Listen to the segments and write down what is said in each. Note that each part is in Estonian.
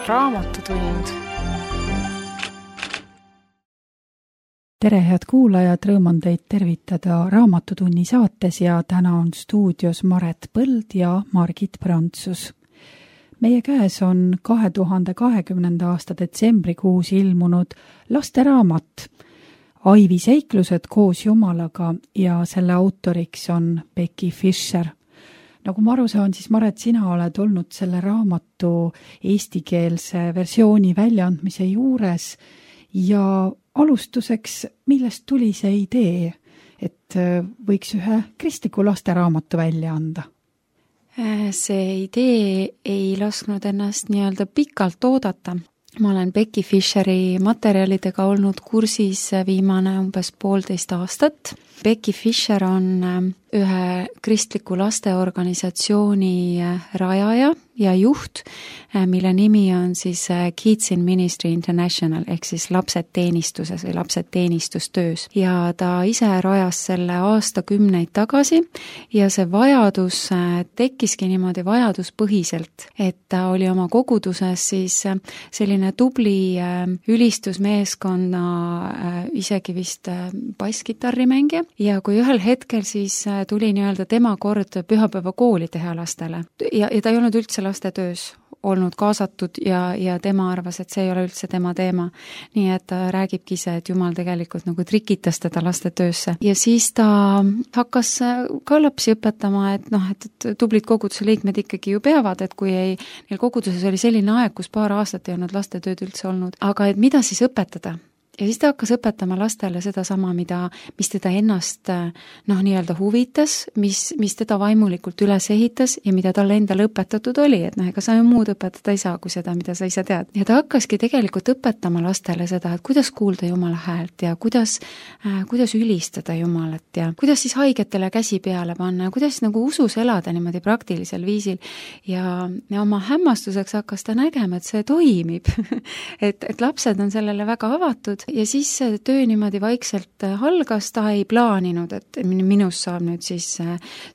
Raamatutund. Tere, head kuulajad, rõõm on teid tervitada Raamatutunni saates ja täna on stuudios Maret Põld ja Margit Prantsus. Meie käes on 2020. aasta detsembrikuus ilmunud lasteraamat Aivi seiklused koos Jumalaga ja selle autoriks on Becky Fischer. Nagu ma aru saan, siis Maret, sina oled olnud selle raamatu eestikeelse versiooni väljaandmise juures ja alustuseks, millest tuli see idee, et võiks ühe kristliku lasteraamatu välja anda? See idee ei lasknud ennast nii-öelda pikalt oodata. Ma olen Becky Fischeri materjalidega olnud kursis viimane umbes 1,5 aastat. Becky Fischer on ühe kristliku lasteorganisatsiooni rajaja ja juht, mille nimi on siis Kids in Ministry International ehk siis lapsed teenistuses või lapsed teenistustöös. Ja ta ise rajas selle aastakümneid tagasi ja see vajadus tekkiski niimoodi vajaduspõhiselt, et ta oli oma koguduses siis selline tubli ülistusmeeskonna isegi vist basskitarrimängija ja kui ühel hetkel siis tuli nii-öelda tema kord pühapäevakooli teha lastele ja ta ei olnud üldse lastetöös olnud kaasatud ja tema arvas, et see ei ole üldse tema teema. Nii et ta räägibki ise, et Jumal tegelikult nagu trikitas teda lastetöösse. Ja siis ta hakkas ka lapsi õpetama, et tublid koguduse liikmed ikkagi ju peavad, et kui neil koguduses oli selline aeg, kus paar aastat ei olnud lastetööd üldse olnud. Aga et mida siis õpetada? Ja siis ta hakkas õpetama lastele seda sama, mis teda ennast nii-öelda huvitas, mis teda vaimulikult üles ehitas ja mida talle endale õpetatud oli, et ega sa ju muud õpetada ei saa kui seda, mida sa ise tead. Ja ta hakkaski tegelikult õpetama lastele seda, et kuidas kuulda Jumala häält ja kuidas ülistada Jumalat ja kuidas siis haigetele käsi peale panna ja kuidas nagu usus elada niimoodi praktilisel viisil. Ja oma hämmastuseks hakkas ta nägema, et see toimib, et lapsed on sellele väga avatud. Ja siis see töö niimoodi vaikselt algas, ta ei plaaninud, et minust saab nüüd siis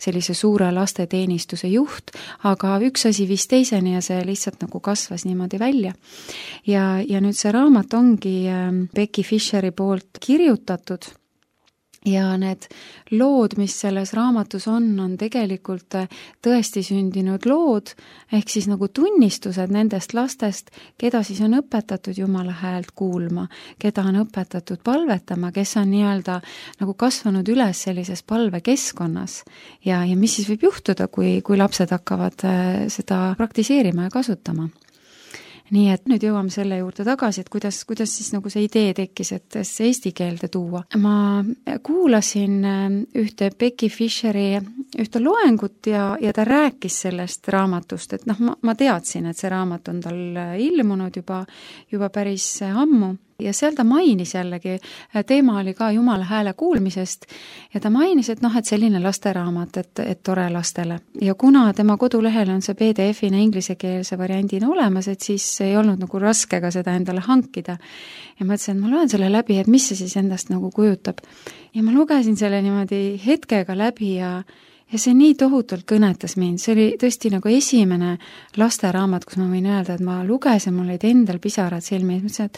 sellise suure lasteteenistuse juht, aga üks asi viis teiseni ja see lihtsalt nagu kasvas niimoodi välja. Ja nüüd see raamat ongi Becky Fischeri poolt kirjutatud. Ja need lood, mis selles raamatus on tegelikult tõesti sündinud lood, ehk siis nagu tunnistused nendest lastest, keda siis on õpetatud Jumala häält kuulma, keda on õpetatud palvetama, kes on nii-öelda nagu kasvanud üles sellises palvekeskkonnas ja mis siis võib juhtuda, kui lapsed hakkavad seda praktiseerima ja kasutama. Nii et nüüd jõuame selle juurde tagasi, et kuidas siis nagu see idee tekkis, et see eesti keelde tuua. Ma kuulasin ühte Becky Fischeri ühte loengut ja ta rääkis sellest raamatust, et ma teadsin, et see raamat on tal ilmunud juba päris ammu. Ja seal ta mainis jällegi, teema oli ka Jumala hääle kuulmisest ja ta mainis, et selline lasteraamat, et tore lastele. Ja kuna tema kodulehel on see PDF-ina inglisekeelse variandina olemas, et siis ei olnud nagu raske ka seda endale hankida. Ja ma ütlesin, et ma loen selle läbi, et mis see siis endast nagu kujutab. Ja ma lugesin selle niimoodi hetkega läbi ja see nii tohutult kõnetas mind, see oli tõesti nagu esimene lasteraamat, kus ma võin öelda, et ma lugesin, mul olid endal pisarad silmi, et mõtlesin, et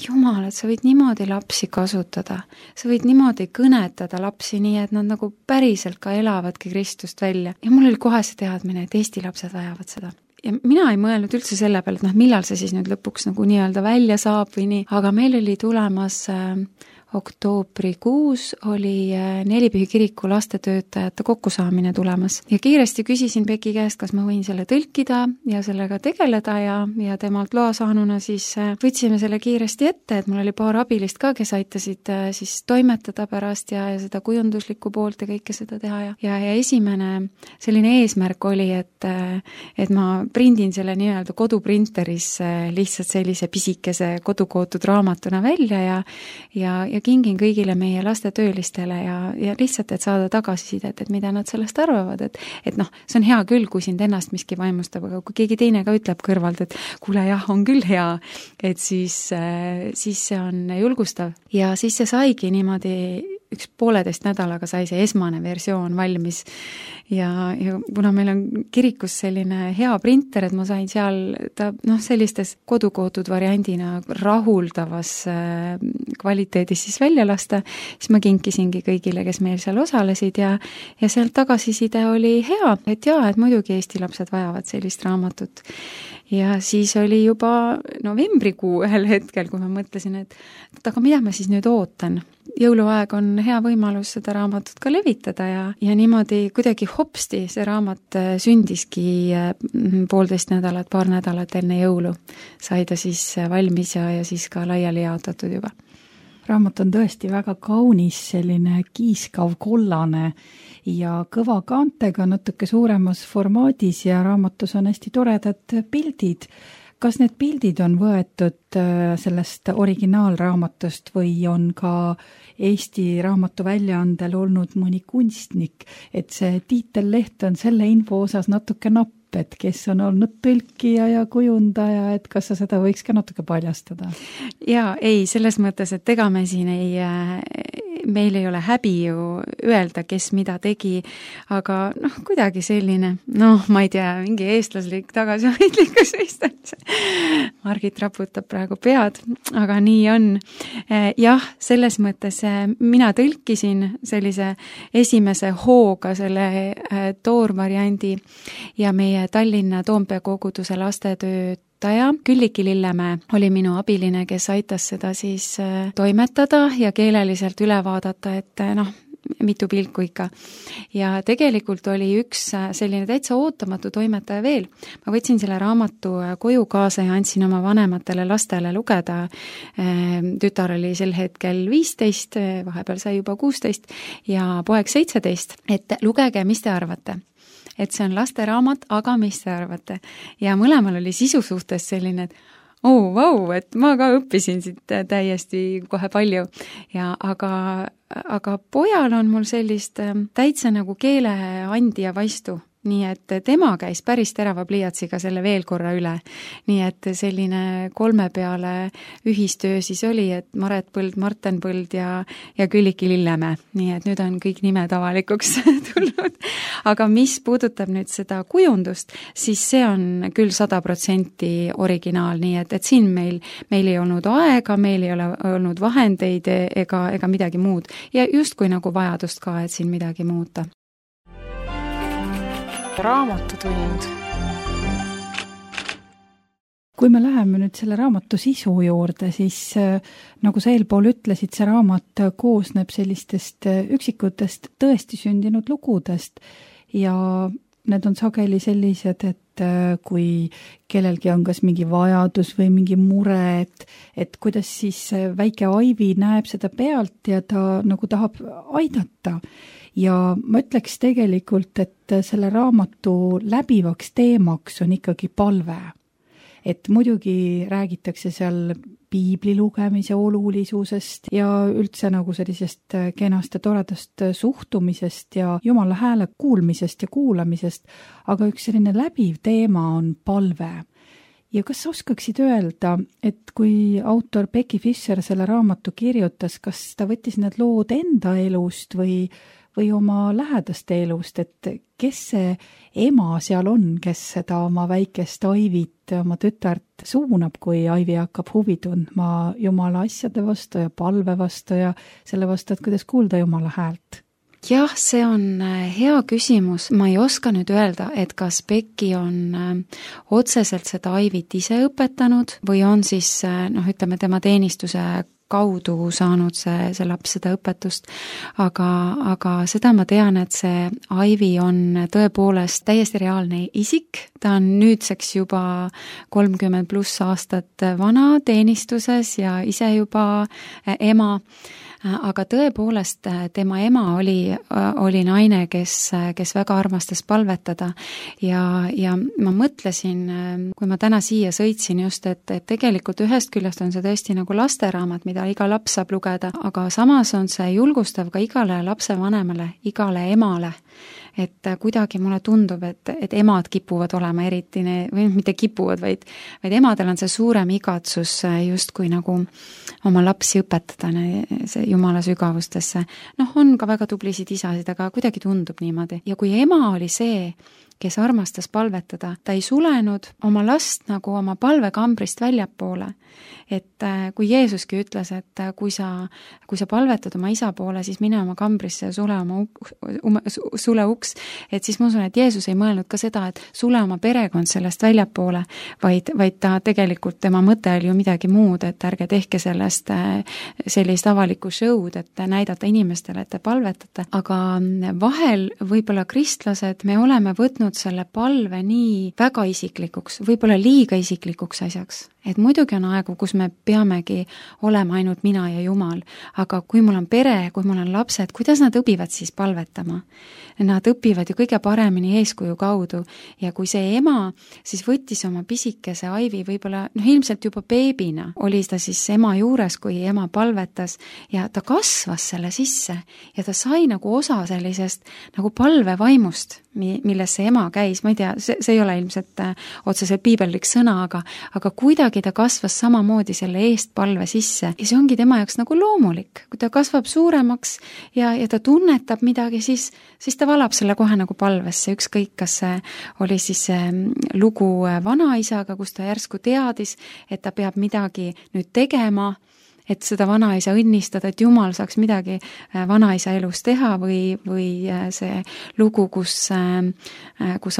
Jumal, et sa võid niimoodi lapsi kasutada, sa võid niimoodi kõnetada lapsi nii, et nad nagu päriselt ka elavadki Kristust välja. Ja mul oli kohe see teadmine, et Eesti lapsed vajavad seda. Ja mina ei mõelnud üldse selle peale, et millal see siis nüüd lõpuks nagu nii-öelda välja saab või nii, aga meil oli tulemas oktoobrikuus oli Nelipühi kiriku lastetöötajate kokkusaamine tulemas ja kiiresti küsisin Becky käest, kas ma võin selle tõlkida ja sellega tegeleda ja temalt loa saanuna siis võtsime selle kiiresti ette, et mul oli paar abilist ka, kes aitasid siis toimetada pärast ja seda kujunduslikku poolt ja kõike seda teha ja esimene selline eesmärk oli, et ma prindin selle nii-öelda koduprinteris lihtsalt sellise pisikese kodukootud raamatuna välja ja kingin kõigile meie lastetöölistele ja lihtsalt, et saada tagasisidet, et mida nad sellest arvavad, et see on hea küll, kui sind ennast miski vaimustab, aga kui keegi teine ka ütleb kõrvalt, et kuule jah, on küll hea, et siis see on julgustav. Ja siis see saigi niimoodi 1,5 nädalaga sai see esmane versioon valmis ja kuna meil on kirikus selline hea printer, et ma sain seal ta sellistes kodukootud variandina rahuldavas kvaliteedis siis välja lasta, siis ma kinkisingi kõigile, kes meil seal osalesid ja sealt tagasiside oli hea, et muidugi Eesti lapsed vajavad sellist raamatut. Ja siis oli juba novembrikuu ühel hetkel, kui ma mõtlesin, et aga mida ma siis nüüd ootan. Jõuluaeg on hea võimalus seda raamatut ka levitada ja niimoodi kuidagi hopsti see raamat sündiski 1,5 nädalat, paar nädalat enne jõulu. Sai ta siis valmis ja siis ka laiali jaotatud juba. Raamat on tõesti väga kaunis, selline kiiskav kollane ja kõva kaantega natuke suuremas formaadis ja raamatus on hästi toredad pildid. Kas need pildid on võetud sellest originaalraamatust või on ka Eesti raamatu väljaandel olnud mõni kunstnik, et see tiitelleht on selle info osas natuke napp, et kes on olnud tõlkija ja kujundaja, et kas sa seda võiks ka natuke paljastada? Jaa, ei, selles mõttes, et ega me siin meil ei ole häbi ju öelda, kes mida tegi, aga kuidagi selline, ma ei tea, mingi eestlaslik tagasihoidlikkus vist on see. Margit raputab praegu pead, aga nii on. Jah, selles mõttes mina tõlkisin sellise esimese hooga selle toorvariandi ja meie Tallinna Toompea koguduse lastetööd Külliki Lillemäe oli minu abiline, kes aitas seda siis toimetada ja keeleliselt üle vaadata, et mitu pilku ikka. Ja tegelikult oli üks selline täitsa ootamatu toimetaja veel. Ma võtsin selle raamatu koju kaasa ja andsin oma vanematele lastele lugeda. Tütar oli sel hetkel 15, vahepeal sai juba 16 ja poeg 17, et lugege, mis te arvate. Et see on lasteraamat, aga mis te arvate? Ja mõlemal oli sisu suhtes selline, et et ma ka õppisin siit täiesti kohe palju. Aga pojal on mul sellist täitsa nagu keeleandja vaistu. Nii et tema käis päris terava pliiatsiga selle veel korra üle. Nii et selline 3 peale ühistöö siis oli, et Maret Põld, Marten Põld ja Külliki Lillemäe. Nii et nüüd on kõik nimed avalikuks tulnud. Aga mis puudutab nüüd seda kujundust, siis see on küll 100% originaal, nii et siin meil ei olnud aega, meil ei ole olnud vahendeid ega midagi muud. Ja justkui nagu vajadust ka, et siin midagi muuta. Raamatutund. Kui me läheme nüüd selle raamatu sisu juurde, siis nagu sa eelpool ütlesid, see raamat koosneb sellistest üksikutest tõesti sündinud lugudest ja need on sageli sellised, et kui kellelgi on kas mingi vajadus või mingi mure, et kuidas siis väike Aivi näeb seda pealt ja ta nagu tahab aidata. Ja ma ütleks tegelikult, et selle raamatu läbivaks teemaks on ikkagi palve. Et muidugi räägitakse seal piibli lugemise olulisusest ja üldse nagu sellisest kenast ja toredast suhtumisest ja Jumala hääle kuulmisest ja kuulamisest, aga üks selline läbiv teema on palve. Ja kas oskaksid öelda, et kui autor Becky Fischer selle raamatu kirjutas, kas ta võttis need lood enda elust või oma lähedaste elust, et kes see ema seal on, kes seda oma väikest Aivit, oma tütart suunab, kui Aivi hakkab huvi tundma Jumala asjade vastu ja palve vastu ja selle vastu, et kuidas kuulda Jumala häält? Jah, see on hea küsimus. Ma ei oska nüüd öelda, et kas Becky on otseselt seda Aivit ise õpetanud või on siis, ütleme, tema teenistuse kaudu saanud see laps seda õpetust, aga seda ma tean, et see Aivi on tõepoolest täiesti reaalne isik, ta on nüüdseks juba 30+ aastat vana teenistuses ja ise juba ema, aga tõepoolest tema ema oli naine, kes väga armastas palvetada ja ma mõtlesin, kui ma täna siia sõitsin just, et tegelikult ühest küljest on see tõesti nagu lasteraamat, mida iga laps saab lugeda, aga samas on see julgustav ka igale lapsevanemale, igale emale, et kuidagi mulle tundub, et emad kipuvad olema eriti, või mitte kipuvad, vaid emadel on see suurem igatsus justkui nagu oma lapsi õpetada see Jumala sügavustesse. On ka väga tublisid isasid, aga kuidagi tundub niimoodi. Ja kui ema oli see, kes armastas palvetada, ta ei sulenud oma last nagu oma palvekambrist väljapoole. Et kui Jeesuski ütles, et kui sa palvetad oma isa poole, siis mine oma kambrisse ja sule uks, et siis ma usun, et Jeesus ei mõelnud ka seda, et sule oma perekond sellest väljapoole, vaid ta tegelikult, tema mõte oli ju midagi muud, et ärge tehke sellest sellist avalikku show'd, et näidata inimestele, et te palvetate. Aga vahel võib-olla kristlased, me oleme võtnud selle palve nii väga isiklikuks, võib-olla liiga isiklikuks asjaks. Et muidugi on aegu, kus me peamegi olema ainult mina ja Jumal, aga kui mul on pere, kui mul on lapsed, kuidas nad õpivad siis palvetama? Nad õpivad ju kõige paremini eeskuju kaudu ja kui see ema siis võttis oma pisikese Aivi võib-olla, ilmselt juba beebina, oli ta siis ema juures, kui ema palvetas ja ta kasvas selle sisse ja ta sai nagu osa sellisest nagu palvevaimust, milles see ema käis, ma ei tea, see ei ole ilmselt otseselt piibellik sõna, aga kuidagi ta kasvas samamoodi selle eestpalve sisse ja see ongi tema jaoks nagu loomulik. Kui ta kasvab suuremaks ja ta tunnetab midagi, siis ta valab selle kohe nagu palvesse, ükskõik, kas see oli siis lugu vanaisaga, kus ta järsku teadis, et ta peab midagi nüüd tegema, et seda vanaisa õnnistada, et Jumal saaks midagi vanaisa elus teha või see lugu, kus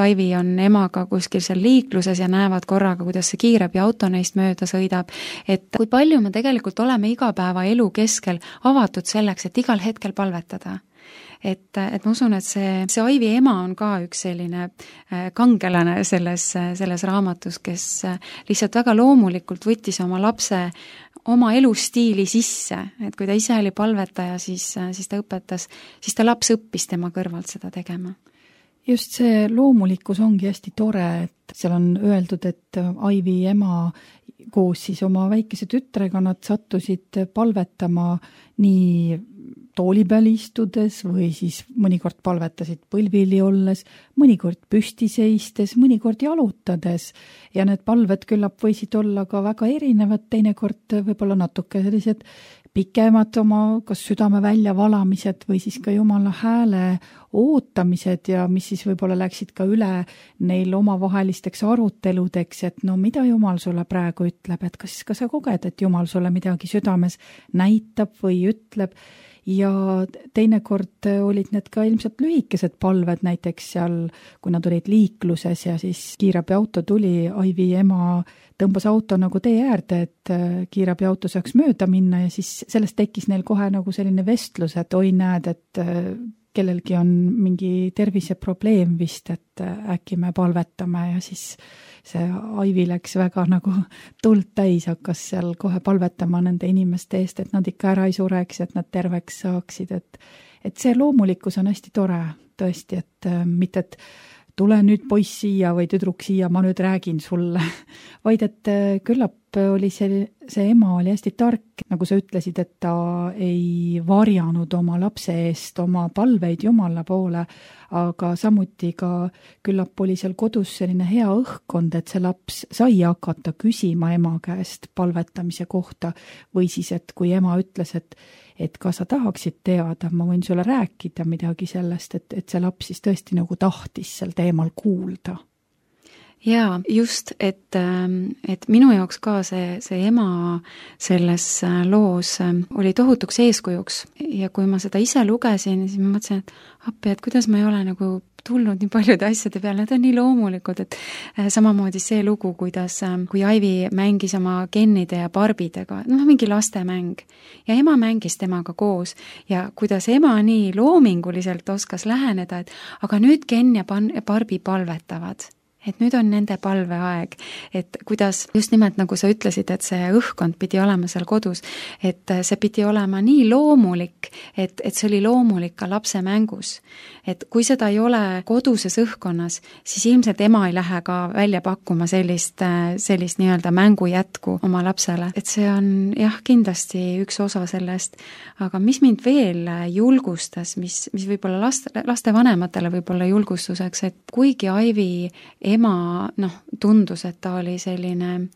Aivi on emaga kuskil seal liikluses ja näevad korraga, kuidas see kiirabiauto neist mööda sõidab, et kui palju me tegelikult oleme igapäevaelu keskel avatud selleks, et igal hetkel palvetada. Et ma usun, et see Aivi ema on ka üks selline kangelane selles raamatus, kes lihtsalt väga loomulikult võttis oma lapse oma elustiili sisse, et kui ta ise oli palvetaja, siis ta õpetas, siis ta laps õppis tema kõrvalt seda tegema. Just see loomulikkus ongi hästi tore, et seal on öeldud, et Aivi ema koos siis oma väikese tütrega nad sattusid palvetama nii tooli peal istudes või siis mõnikord palvetasid põlvili olles, mõnikord püsti seistes, mõnikord jalutades ja need palved küllap võisid olla ka väga erinevad, teinekord võib-olla natuke sellised pikemad oma kas südame väljavalamised või siis ka Jumala hääle ootamised ja mis siis võib-olla läksid ka üle neil omavahelisteks aruteludeks, et no mida Jumal sulle praegu ütleb, et kas sa koged, et Jumal sulle midagi südames näitab või ütleb. Ja teinekord olid need ka ilmselt lühikesed palved, näiteks seal, kui nad olid liikluses ja siis kiirabiauto tuli, Aivi ema tõmbas auto nagu tee äärde, et kiirabiauto saaks mööda minna ja siis sellest tekkis neil kohe nagu selline vestlus, et oi näed, et kellelgi on mingi terviseprobleem vist, et äkki me palvetame ja siis see Aivi läks väga nagu tuld täis, hakkas seal kohe palvetama nende inimeste eest, et nad ikka ära ei sureks, et nad terveks saaksid, et see loomulikkus on hästi tore tõesti, et mitte, et tule nüüd poiss siia või tüdruk siia, ma nüüd räägin sulle, vaid et küllap oli see ema oli hästi tark, nagu sa ütlesid, et ta ei varjanud oma lapse eest oma palveid Jumala poole, aga samuti ka küllap oli seal kodus selline hea õhkkond, et see laps sai hakata küsima ema käest palvetamise kohta või siis, et kui ema ütles, et kas sa tahaksid teada, ma võin sulle rääkida midagi sellest, et see laps siis tõesti nagu tahtis sel teemal kuulda. Jaa, just, et minu jaoks ka see ema selles loos oli tohutuks eeskujuks ja kui ma seda ise lugesin, siis ma mõtlesin, et appi, et kuidas ma ei ole nagu tulnud nii paljude asjade peale, need on nii loomulikud, et samamoodi see lugu, kui Aivi mängis oma Kennide ja Barbidega, mingi lastemäng ja ema mängis temaga koos ja kuidas ema nii loominguliselt oskas läheneda, et aga nüüd Ken ja Barbie palvetavad. et nüüd on nende palveaeg, et kuidas just nimelt nagu sa ütlesid, et see õhkkond pidi olema seal kodus, et see pidi olema nii loomulik, et see oli loomulik ka lapse mängus. Et kui seda ei ole koduses õhkkonnas, siis ilmselt ema ei lähe ka välja pakkuma sellist nii-öelda mängu jätku oma lapsele. Et see on jah, kindlasti üks osa sellest, aga mis mind veel julgustas, mis võib-olla laste vanematele võib-olla julgustuseks, et kuigi Aivi ema, tundus, et ta oli selline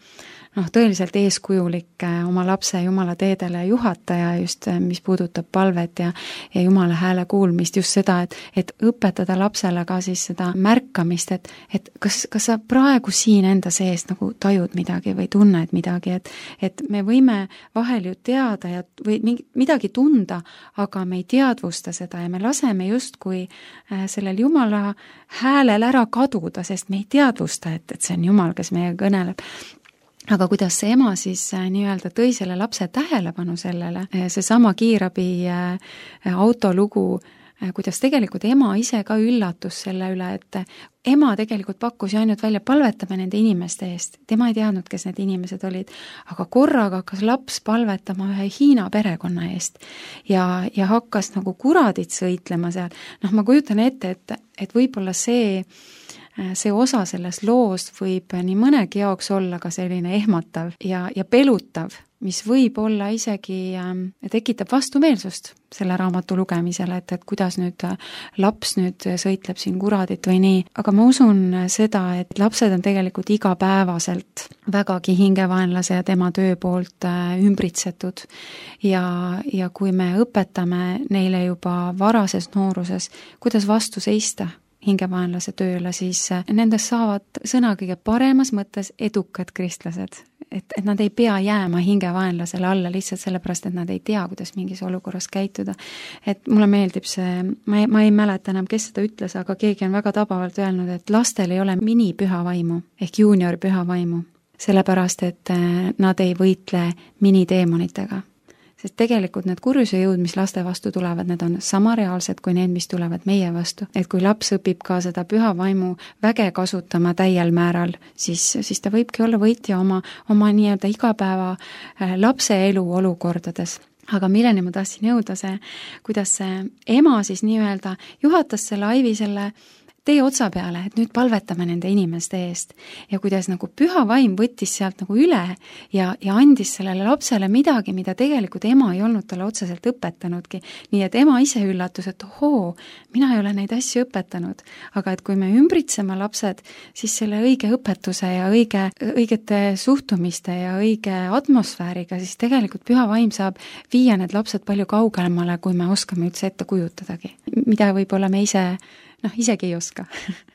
tõeliselt eeskujulik oma lapse Jumala teedele juhataja just, mis puudutab palvet ja Jumala hääle kuulmist, just seda, et õpetada lapsele ka siis seda märkamist, et kas sa praegu siin enda sees nagu tajud midagi või tunned midagi, et me võime vahel ju teada või midagi tunda, aga me ei teadvusta seda ja me laseme justkui sellel Jumala häälel ära kaduda, sest me ei teadvusta, et see on Jumal, kes meiega kõneleb. Aga kuidas see ema siis nii-öelda tõi selle lapse tähelepanu sellele, seesama kiirabi autolugu, kuidas tegelikult ema ise ka üllatus selle üle, et ema tegelikult pakkus ju ainult välja palvetama nende inimeste eest. Tema ei teadnud, kes need inimesed olid, aga korraga hakkas laps palvetama ühe Hiina perekonna eest ja hakkas nagu kuradit sõitlema seal. Ma kujutan ette, et võib-olla see osa sellest loost võib nii mõnegi jaoks olla ka selline ehmatav ja pelutav, mis võib olla isegi, tekitab vastumeelsust selle raamatu lugemisele, et kuidas nüüd laps nüüd sõitleb siin kuradit või nii. Aga ma usun seda, et lapsed on tegelikult igapäevaselt vägagi hingevaenlase ja tema töö poolt ümbritsetud ja kui me õpetame neile juba varases nooruses, kuidas vastu seista hingevaenlase tööle, siis nendest saavad sõna kõige paremas mõttes edukad kristlased. Et nad ei pea jääma hingevaenlasele alla lihtsalt sellepärast, et nad ei tea, kuidas mingis olukorras käituda. Et mulle meeldib see, ma ei mäleta enam, kes seda ütles, aga keegi on väga tabavalt öelnud, et lastel ei ole minipühavaimu ehk juunior pühavaimu, sellepärast, et nad ei võitle miniteemonitega. Sest tegelikult need kurjuse jõud, mis laste vastu tulevad, need on sama reaalsed kui need, mis tulevad meie vastu. Et kui laps õpib ka seda püha vaimu väge kasutama täiel määral, siis ta võibki olla võitja oma nii-öelda igapäeva lapse elu olukordades. Aga milleni ma tahtsin jõuda see, kuidas see ema siis nii-öelda juhatas selle Aivi selle tee otsa peale, et nüüd palvetame nende inimeste eest ja kuidas nagu püha vaim võttis sealt nagu üle ja andis sellele lapsele midagi, mida tegelikult ema ei olnud talle otseselt õpetanudki. Nii et ema ise üllatus, et mina ei ole neid asju õpetanud, aga et kui me ümbritseme lapsed, siis selle õige õpetuse ja õigete suhtumiste ja õige atmosfääriga, siis tegelikult püha vaim saab viia need lapsed palju kaugemale, kui me oskame üldse ette kujutadagi, mida võib-olla me isegi ei oska. Hästi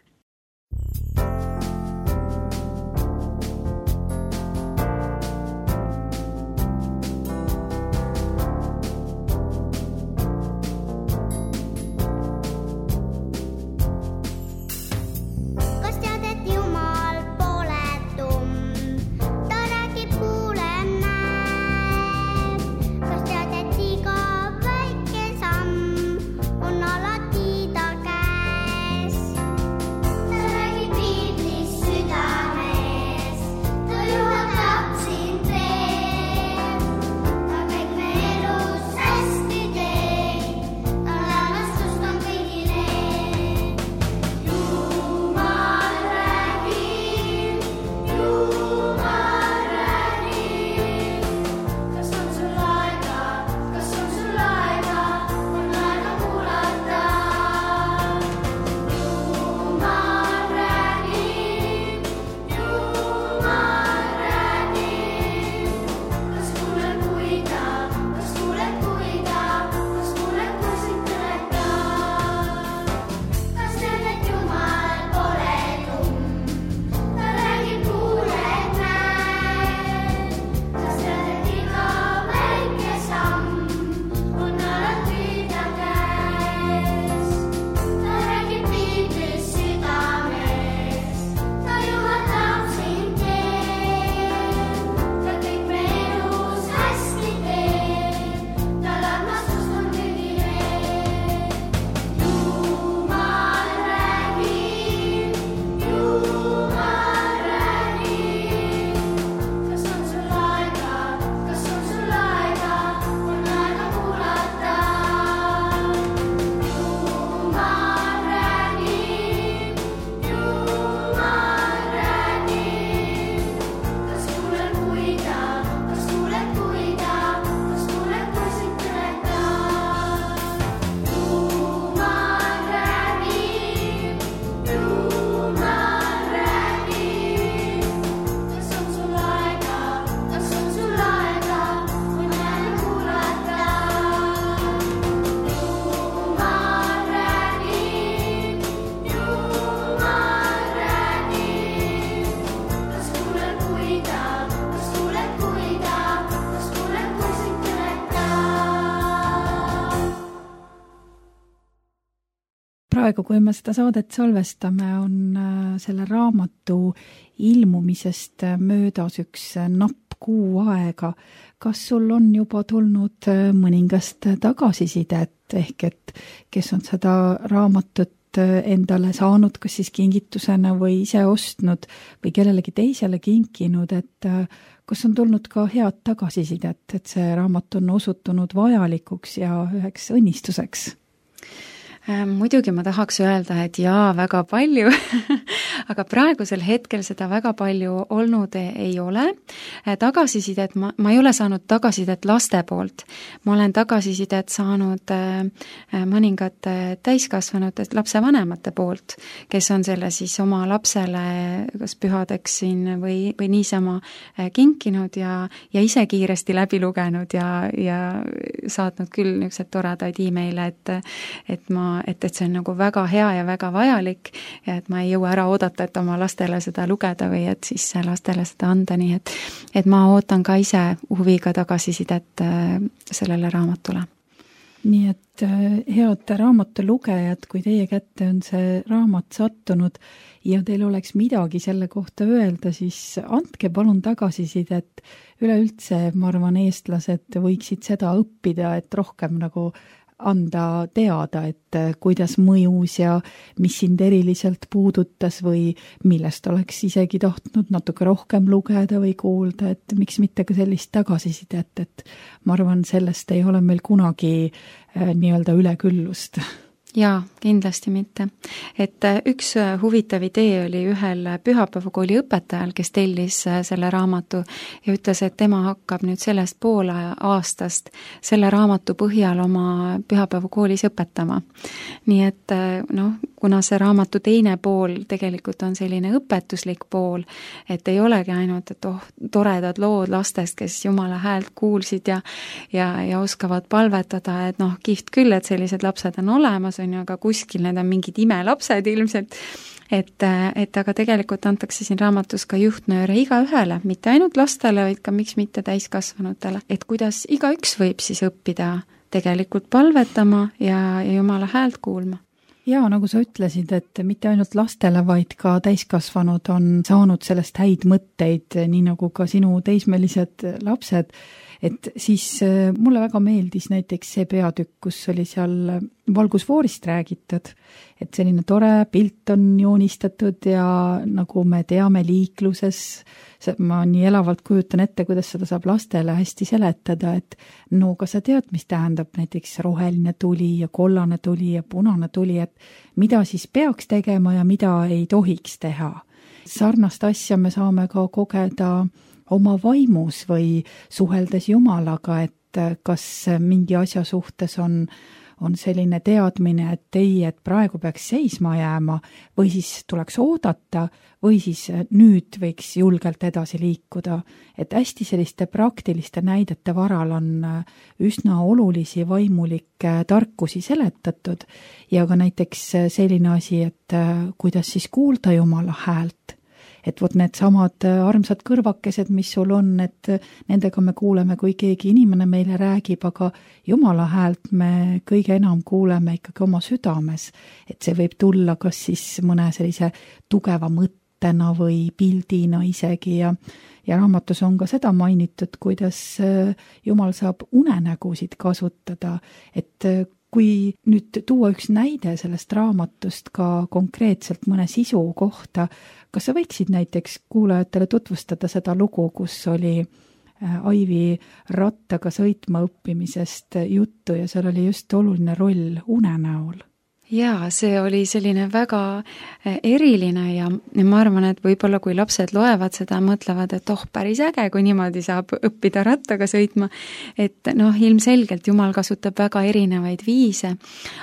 praegu, kui me seda saadet salvestame, on selle raamatu ilmumisest möödas üks napp kuu aega. Kas sul on juba tulnud mõningast tagasisidet, ehk et kes on seda raamatut endale saanud, kas siis kingitusena või ise ostnud või kellelegi teisele kinkinud, et kas on tulnud ka head tagasisidet, et see raamat on osutunud vajalikuks ja üheks õnnistuseks? Muidugi ma tahaks öelda, et jaa, väga palju, aga praegusel hetkel seda väga palju olnud ei ole. Tagasisidet, ma ei ole saanud tagasisidet laste poolt. Ma olen tagasisidet saanud mõningate täiskasvanute lapsevanemate poolt, kes on selle siis oma lapsele kas pühadeks siin või niisama kinkinud ja ise kiiresti läbi lugenud ja saatnud küll niisugused toredaid e-maile, et see on nagu väga hea ja väga vajalik ja et ma ei jõua ära oodata, et oma lastele seda lugeda või et siis lastele seda anda, nii et ma ootan ka ise huviga tagasisidet sellele raamatule. Nii et head raamatu lugejad, kui teie kätte on see raamat sattunud ja teil oleks midagi selle kohta öelda, siis andke palun tagasisidet. Üleüldse, ma arvan, eestlased võiksid seda õppida, et rohkem nagu anda teada, et kuidas mõjus ja mis sind eriliselt puudutas või millest oleks isegi tahtnud natuke rohkem lugeda või kuulda, et miks mitte ka sellist tagasisidet, et ma arvan, sellest ei ole meil kunagi nii-öelda üleküllust. Jaa, kindlasti mitte. Et üks huvitav idee oli ühel pühapäevakooli õpetajal, kes tellis selle raamatu ja ütles, et tema hakkab nüüd sellest poole aastast selle raamatu põhjal oma pühapäevakoolis õpetama. Nii et kuna see raamatu teine pool tegelikult on selline õpetuslik pool, et ei olegi ainult, et toredad lood lastest, kes Jumala häält kuulsid ja oskavad palvetada, et kihvt küll, et sellised lapsed on olemas, on ju, aga kuskil need on mingid imelapsed ilmselt, et aga tegelikult antakse siin raamatus ka juhtnööre igaühele, mitte ainult lastele, vaid ka miks mitte täiskasvanutele, et kuidas igaüks võib siis õppida tegelikult palvetama ja Jumala häält kuulma. Jaa, nagu sa ütlesid, et mitte ainult lastele, vaid ka täiskasvanud on saanud sellest häid mõtteid, nii nagu ka sinu teismelised lapsed, et siis mulle väga meeldis näiteks see peatükk, kus oli seal valgusfoorist räägitud, et selline tore pilt on joonistatud ja nagu me teame liikluses, ma nii elavalt kujutan ette, kuidas seda saab lastele hästi seletada, et no kas sa tead, mis tähendab näiteks roheline tuli ja kollane tuli ja punane tuli, et mida siis peaks tegema ja mida ei tohiks teha. Sarnast asja me saame ka kogeda oma vaimus või suheldes Jumalaga, et kas mingi asja suhtes on selline teadmine, et ei, et praegu peaks seisma jääma või siis tuleks oodata või siis nüüd võiks julgelt edasi liikuda. Et hästi selliste praktiliste näidete varal on üsna olulisi vaimulikke tarkusi seletatud ja ka näiteks selline asi, et kuidas siis kuulda Jumala häält. Et vot need samad armsad kõrvakesed, mis sul on, et nendega me kuuleme, kui keegi inimene meile räägib, aga Jumala häält me kõige enam kuuleme ikkagi oma südames. Et see võib tulla kas siis mõne sellise tugeva mõttena või pildina isegi ja raamatus on ka seda mainitud, kuidas Jumal saab unenägusid kasutada, et kui nüüd tuua üks näide sellest raamatust ka konkreetselt mõne sisu kohta, kas sa võiksid näiteks kuulajatele tutvustada seda lugu, kus oli Aivi rattaga sõitma õppimisest juttu ja seal oli just oluline roll unenäol? Jaa, see oli selline väga eriline ja ma arvan, et võib-olla kui lapsed loevad seda, mõtlevad, et päris äge, kui niimoodi saab õppida rattaga sõitma, et ilmselgelt Jumal kasutab väga erinevaid viise,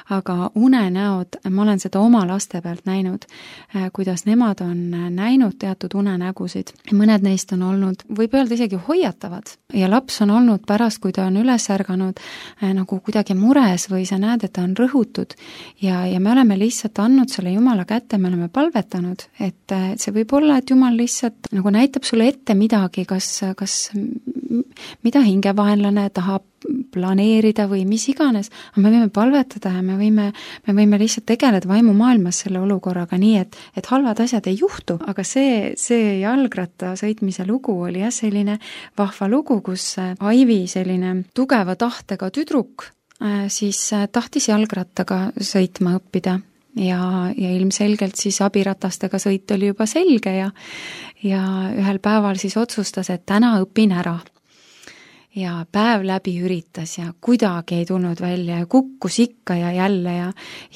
aga unenäod, ma olen seda oma laste pealt näinud, kuidas nemad on näinud teatud unenägusid. Mõned neist on olnud, võib öelda isegi hoiatavad ja laps on olnud pärast, kui ta on üles ärganud nagu kuidagi mures või sa näed, et ta on rõhutud ja me oleme lihtsalt andnud selle Jumala kätte, me oleme palvetanud, et see võib olla, et Jumal lihtsalt nagu näitab sulle ette midagi, kas mida hingevaenlane tahab planeerida või mis iganes, aga me võime palvetada ja me võime lihtsalt tegeleda vaimumaailmas selle olukorraga nii, et halvad asjad ei juhtu, aga see jalgratta sõitmise lugu oli jah selline vahva lugu, kus Aivi selline tugeva tahtega tüdruk siis tahtis jalgrattaga sõitma õppida ja ilmselgelt siis abiratastega sõit oli juba selge ja ühel päeval siis otsustas, et täna õpin ära. Ja päev läbi üritas ja kuidagi ei tulnud välja ja kukkus ikka ja jälle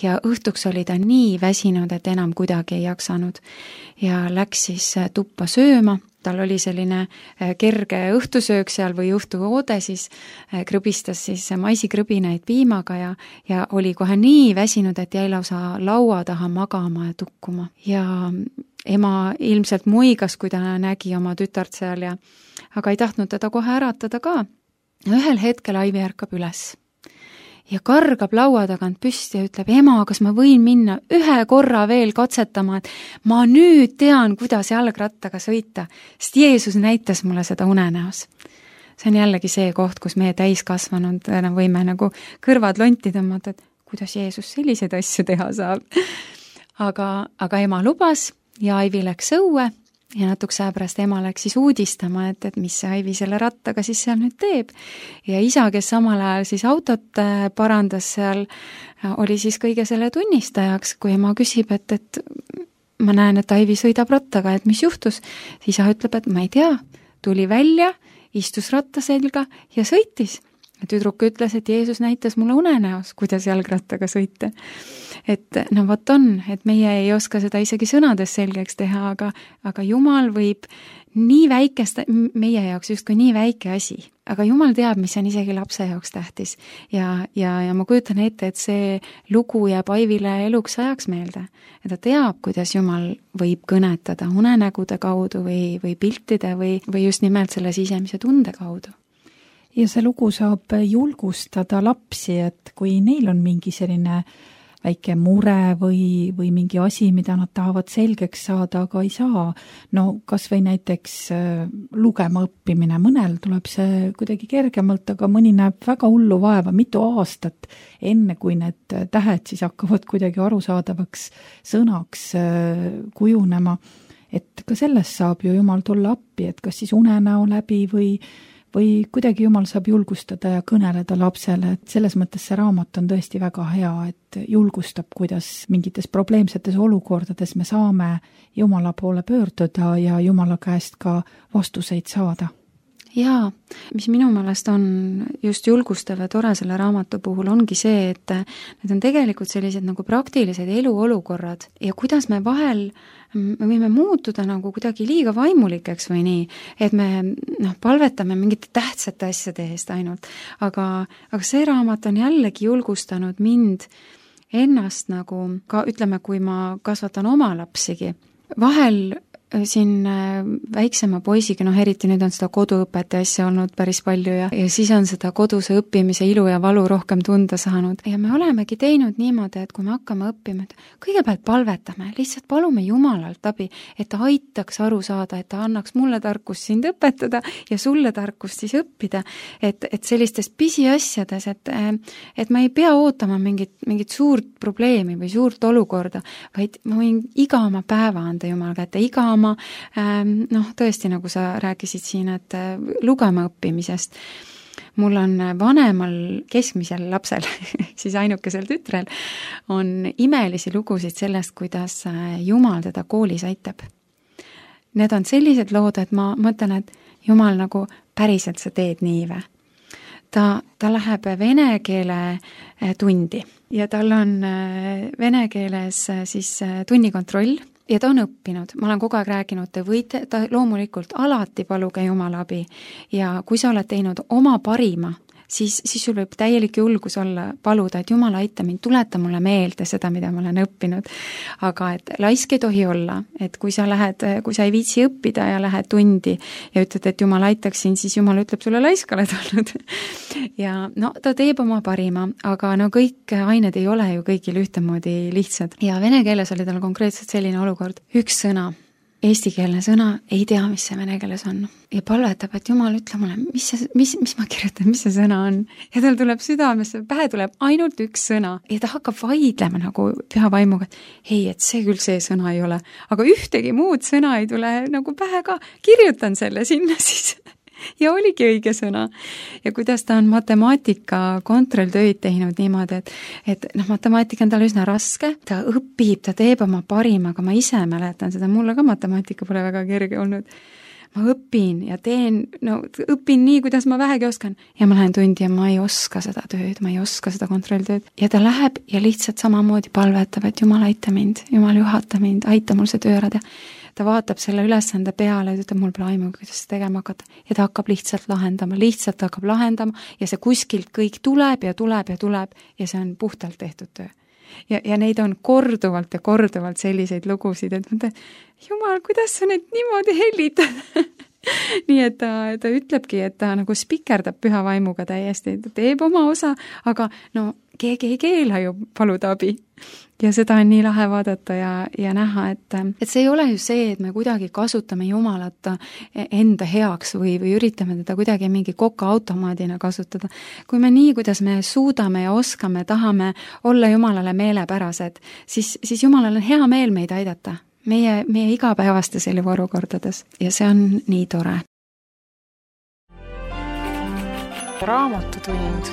ja õhtuks oli ta nii väsinud, et enam kuidagi ei jaksanud. Ja läks siis tuppa sööma, tal oli selline kerge õhtusöök seal või õhtuoode, siis krõbistas siis maisikrõbineid piimaga ja oli kohe nii väsinud, et jäi lausa laua taha magama ja tukkuma. Ja ema ilmselt muigas, kui ta nägi oma tütart seal aga ei tahtnud teda kohe äratada ka. Ühel hetkel Aivi ärkab üles ja kargab laua tagant püsti ja ütleb, ema, kas ma võin minna ühe korra veel katsetama, et ma nüüd tean, kuidas jalgrattaga sõita, sest Jeesus näitas mulle seda unenäos. See on jällegi see koht, kus meie täiskasvanud võime nagu kõrvad lonti tõmmata, et kuidas Jeesus selliseid asju teha saab. Aga ema lubas ja Aivi läks õue ja natuke aja pärast ema läks siis uudistama, et mis see Aivi selle rattaga siis seal nüüd teeb. Ja isa, kes samal ajal siis autot parandas seal, oli siis kõige selle tunnistajaks, kui ema küsib, et ma näen, et Aivi sõidab rattaga, et mis juhtus. Isa ütleb, et ma ei tea, tuli välja, istus ratta selga ja sõitis. Tüdruk ütles, et Jeesus näitas mulle unenäos, kuidas jalgrattaga sõita. Et no vot on, et meie ei oska seda isegi sõnades selgeks teha, aga Jumal võib nii väikest, meie jaoks justkui nii väike asi, aga Jumal teab, mis on isegi lapse jaoks tähtis. Ja ma kujutan ette, et see lugu jääb Aivile eluks ajaks meelde. Ja ta teab, kuidas Jumal võib kõnetada unenägude kaudu või piltide või just nimelt selle sisemise tunde kaudu. Ja see lugu saab julgustada lapsi, et kui neil on mingi selline väike mure või mingi asi, mida nad tahavad selgeks saada, aga ei saa, no kas või näiteks lugema õppimine, mõnel tuleb see kuidagi kergemalt, aga mõni näeb väga hullu vaeva mitu aastat, enne kui need tähed siis hakkavad kuidagi arusaadavaks sõnaks kujunema, et ka sellest saab ju Jumal tulla appi, et kas siis unenäo läbi või kuidagi Jumal saab julgustada ja kõneleda lapsele, et selles mõttes see raamat on tõesti väga hea, et julgustab, kuidas mingites probleemsetes olukordades me saame Jumala poole pöörduda ja Jumala käest ka vastuseid saada. Jaa, mis minu meelest on just julgustav ja tore selle raamatu puhul ongi see, et need on tegelikult sellised nagu praktilised eluolukorrad ja kuidas me vahel me võime muutuda nagu kuidagi liiga vaimulikeks või nii, et me palvetame mingite tähtsate asjade eest ainult, aga see raamat on jällegi julgustanud mind ennast nagu, ka ütleme, kui ma kasvatan oma lapsigi, vahel siin väiksema poisiga, eriti nüüd on seda koduõpet ja asja olnud päris palju ja siis on seda koduse õppimise ilu ja valu rohkem tunda saanud. Ja me olemegi teinud niimoodi, et kui me hakkame õppima, et kõigepealt palvetame, lihtsalt palume Jumalalt abi, et ta aitaks aru saada, et ta annaks mulle tarkust sind õpetada ja sulle tarkust siis õppida, et sellistes pisiasjades, et ma ei pea ootama mingit suurt probleemi või suurt olukorda, vaid ma võin iga oma päeva anda Jumal kätte, iga oma tõesti, nagu sa rääkisid siin, et lugema õppimisest. Mul on vanemal keskmisel lapsel, siis ainukesel tütrel, on imelisi lugusid sellest, kuidas Jumal teda koolis aitab. Need on sellised lood, et ma mõtlen, et Jumal nagu päriselt sa teed nii või. Ta läheb vene keele tundi ja tal on vene keeles siis tunnikontroll, ja ta on õppinud, ma olen kogu aeg rääkinud, ta loomulikult alati paluge Jumala abi ja kui sa oled teinud oma parima, siis sul võib täielik julgus olla paluda, et Jumal aita mind, tuleta mulle meelde seda, mida ma olen õppinud. Aga et laisk ei tohi olla, et kui sa ei viitsi õppida ja lähed tundi ja ütled, et Jumal aitaks sind, siis Jumal ütleb sulle laisk oled olnud. Ja ta teeb oma parima, aga kõik ained ei ole ju kõigil ühtemoodi lihtsad. Ja vene keeles oli tal konkreetselt selline olukord, üks sõna eestikeelne sõna, ei tea, mis see vene keeles on. Ja palvetab, et Jumal, ütle mulle, mis ma kirjutan, mis see sõna on. Ja tal tuleb südamesse, pähe tuleb ainult üks sõna. Ja ta hakkab vaidlema nagu püha vaimuga, et ei, et see küll see sõna ei ole. Aga ühtegi muud sõna ei tule nagu pähe ka. Kirjutan selle sinna siis. Ja oligi õige sõna. Ja kuidas ta on matemaatika kontrolltöid teinud niimoodi, et matemaatika on tal üsna raske, ta õpib, ta teeb oma parima, aga ma ise mäletan seda, mulle ka matemaatika pole väga kerge olnud. Ma õpin ja õpin nii, kuidas ma vähegi oskan. Ja ma lähen tundi ja ma ei oska seda tööd, ma ei oska seda kontrolltööd. Ja ta läheb ja lihtsalt samamoodi palvetab, et Jumal aita mind, Jumal juhata mind, aita mul see töö ära teha. Ta vaatab selle ülesande peale ja ütleb, mul pole aimu, kuidas seda tegema hakata. Ja ta hakkab lihtsalt lahendama ja see kuskilt kõik tuleb ja see on puhtalt tehtud töö. Ja neid on korduvalt ja korduvalt selliseid lugusid, et mõtlen, Jumal, kuidas sa neid niimoodi hellitad? Nii et ta ütlebki, et ta nagu spikerdab püha vaimuga täiesti, ta teeb oma osa, aga keegi ei keela ju paluda abi. Ja seda on nii lahe vaadata ja näha, et see ei ole ju see, et me kuidagi kasutame Jumalat enda heaks või üritame teda kuidagi mingi kokaautomaadina kasutada. Kui me nii, kuidas me suudame ja oskame, tahame olla Jumalale meelepärased, siis Jumalal on hea meel meid aidata. Meie igapäevastes eluolukordades ja see on nii tore. Raamatutund.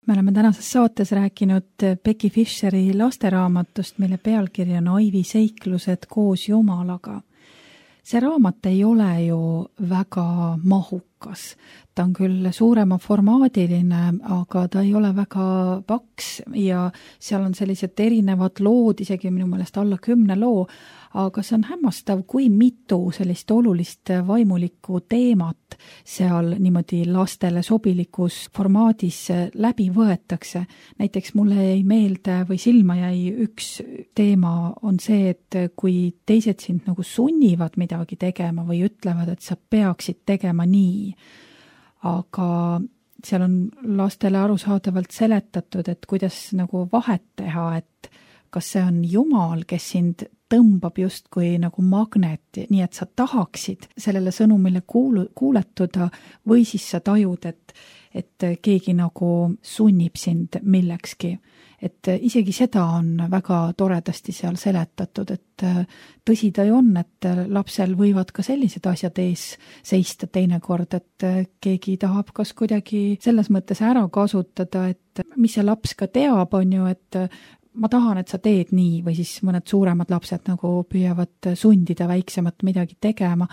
Me oleme tänases saates rääkinud Becky Fisheri lasteraamatust, mille pealkiri on Aivi seiklused koos Jumalaga. See raamat ei ole ju väga mahukas. Ta on küll suurema formaadiline, aga ta ei ole väga paks ja seal on sellised erinevad lood, isegi minu meelest alla 10 loo, aga see on hämmastav, kui mitu sellist olulist vaimulikku teemat seal niimoodi lastele sobilikus formaadis läbi võetakse. Näiteks mulle jäi meelde või silma jäi üks teema on see, et kui teised sind nagu sunnivad midagi tegema või ütlevad, et sa peaksid tegema nii, aga seal on lastele arusaadavalt seletatud, et kuidas nagu vahet teha, et kas see on Jumal, kes sind tõmbab justkui nagu magnet, nii et sa tahaksid sellele sõnumile kuuletuda või siis sa tajud, et keegi nagu sunnib sind millekski. Et isegi seda on väga toredasti seal seletatud, et tõsi ta ju on, et lapsel võivad ka sellised asjad ees seista teinekord, et keegi tahab kas kuidagi selles mõttes ära kasutada, et mis see laps ka teab, on ju, et ma tahan, et sa teed nii, või siis mõned suuremad lapsed nagu püüavad sundida väiksemat midagi tegema,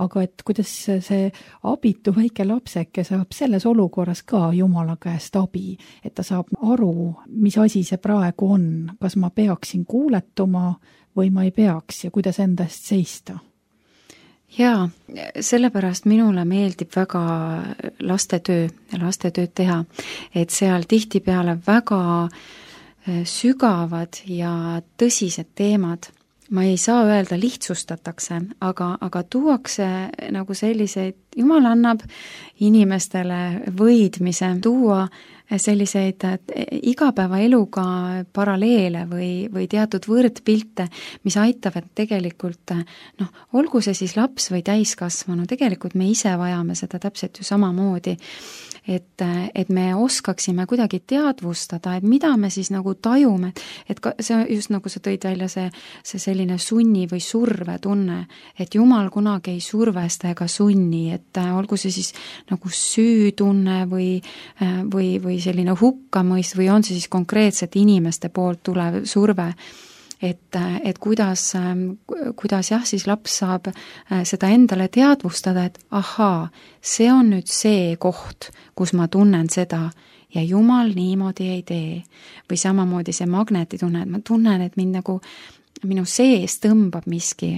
aga et kuidas see abitu väike lapseke saab selles olukorras ka Jumala käest abi, et ta saab aru, mis asi see praegu on, kas ma peaksin kuuletuma või ma ei peaks ja kuidas enda eest seista. Jaa, sellepärast minule meeldib väga lastetööd teha, et seal tihtipeale väga sügavad ja tõsised teemad, ma ei saa öelda lihtsustatakse, aga tuuakse nagu selliseid, Jumal annab inimestele võidmise tuua selliseid igapäevaeluga paralleele või teatud võrdpilte, mis aitavad tegelikult, olgu see siis laps või täiskasvanu, tegelikult me ise vajame seda täpselt ju samamoodi, et me oskaksime kuidagi teadvustada, et mida me siis nagu tajume, et see just nagu sa tõid välja see selline sunni või surve tunne, et Jumal kunagi ei survesta ega sunni, et olgu see siis nagu süütunne või selline hukkamõist või on see siis konkreetselt inimeste poolt tulev surve, et kuidas jah, siis laps saab seda endale teadvustada, et ahaa, see on nüüd see koht, kus ma tunnen seda ja Jumal niimoodi ei tee. Või samamoodi see magnetitunne, et ma tunnen, et mind nagu minu sees tõmbab miski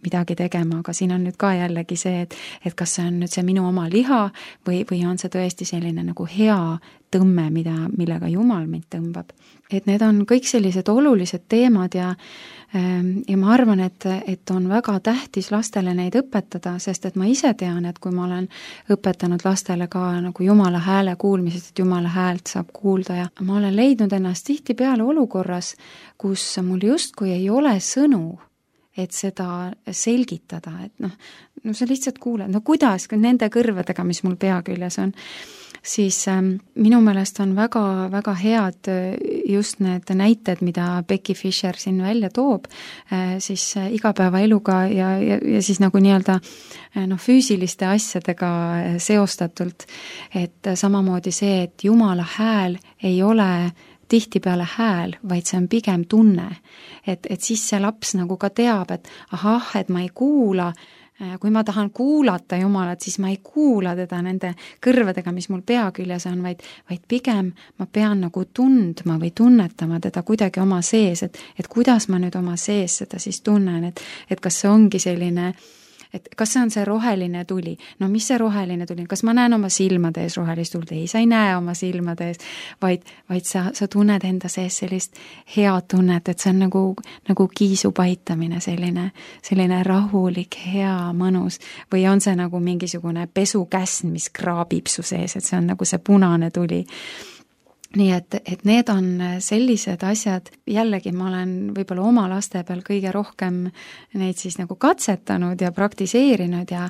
midagi tegema, aga siin on nüüd ka jällegi see, et kas see on nüüd see minu oma liha või on see tõesti selline nagu hea tõmme, millega Jumal mind tõmbab. Et need on kõik sellised olulised teemad ja ma arvan, et on väga tähtis lastele neid õpetada, sest et ma ise tean, et kui ma olen õpetanud lastele ka nagu Jumala hääle kuulmisest, et Jumala häält saab kuulda ja ma olen leidnud ennast tihtipeale olukorras, kus mul justkui ei ole sõnu, et seda selgitada, et no sa lihtsalt kuuled, no kuidas nende kõrvedega, mis mul pea küljes on, siis minu meelest on väga, väga head just need näited, mida Becky Fisher siin välja toob, siis igapäevaeluga ja siis nagu nii-öelda füüsiliste asjadega seostatult, et samamoodi see, et Jumala hääl ei ole tihtipeale hääl, vaid see on pigem tunne. Et siis see laps nagu ka teab, et ahah, et ma ei kuula, kui ma tahan kuulata Jumalat, siis ma ei kuula teda nende kõrvedega, mis mul pea küljes on, vaid pigem ma pean nagu tundma või tunnetama teda kuidagi oma sees, et kuidas ma nüüd oma sees seda siis tunnen, et kas see ongi selline, et kas see on see roheline tuli, no mis see roheline tuli, kas ma näen oma silmade ees rohelist tuld, ei, sa ei näe oma silmade ees, vaid sa tunned enda sees sellist head tunnet, et see on nagu kiisu paitamine, selline rahulik, hea, mõnus, või on see nagu mingisugune pesukäsn, mis kraabib su sees, et see on nagu see punane tuli. Nii et need on sellised asjad, jällegi ma olen võib-olla oma laste peal kõige rohkem neid siis nagu katsetanud ja praktiseerinud ja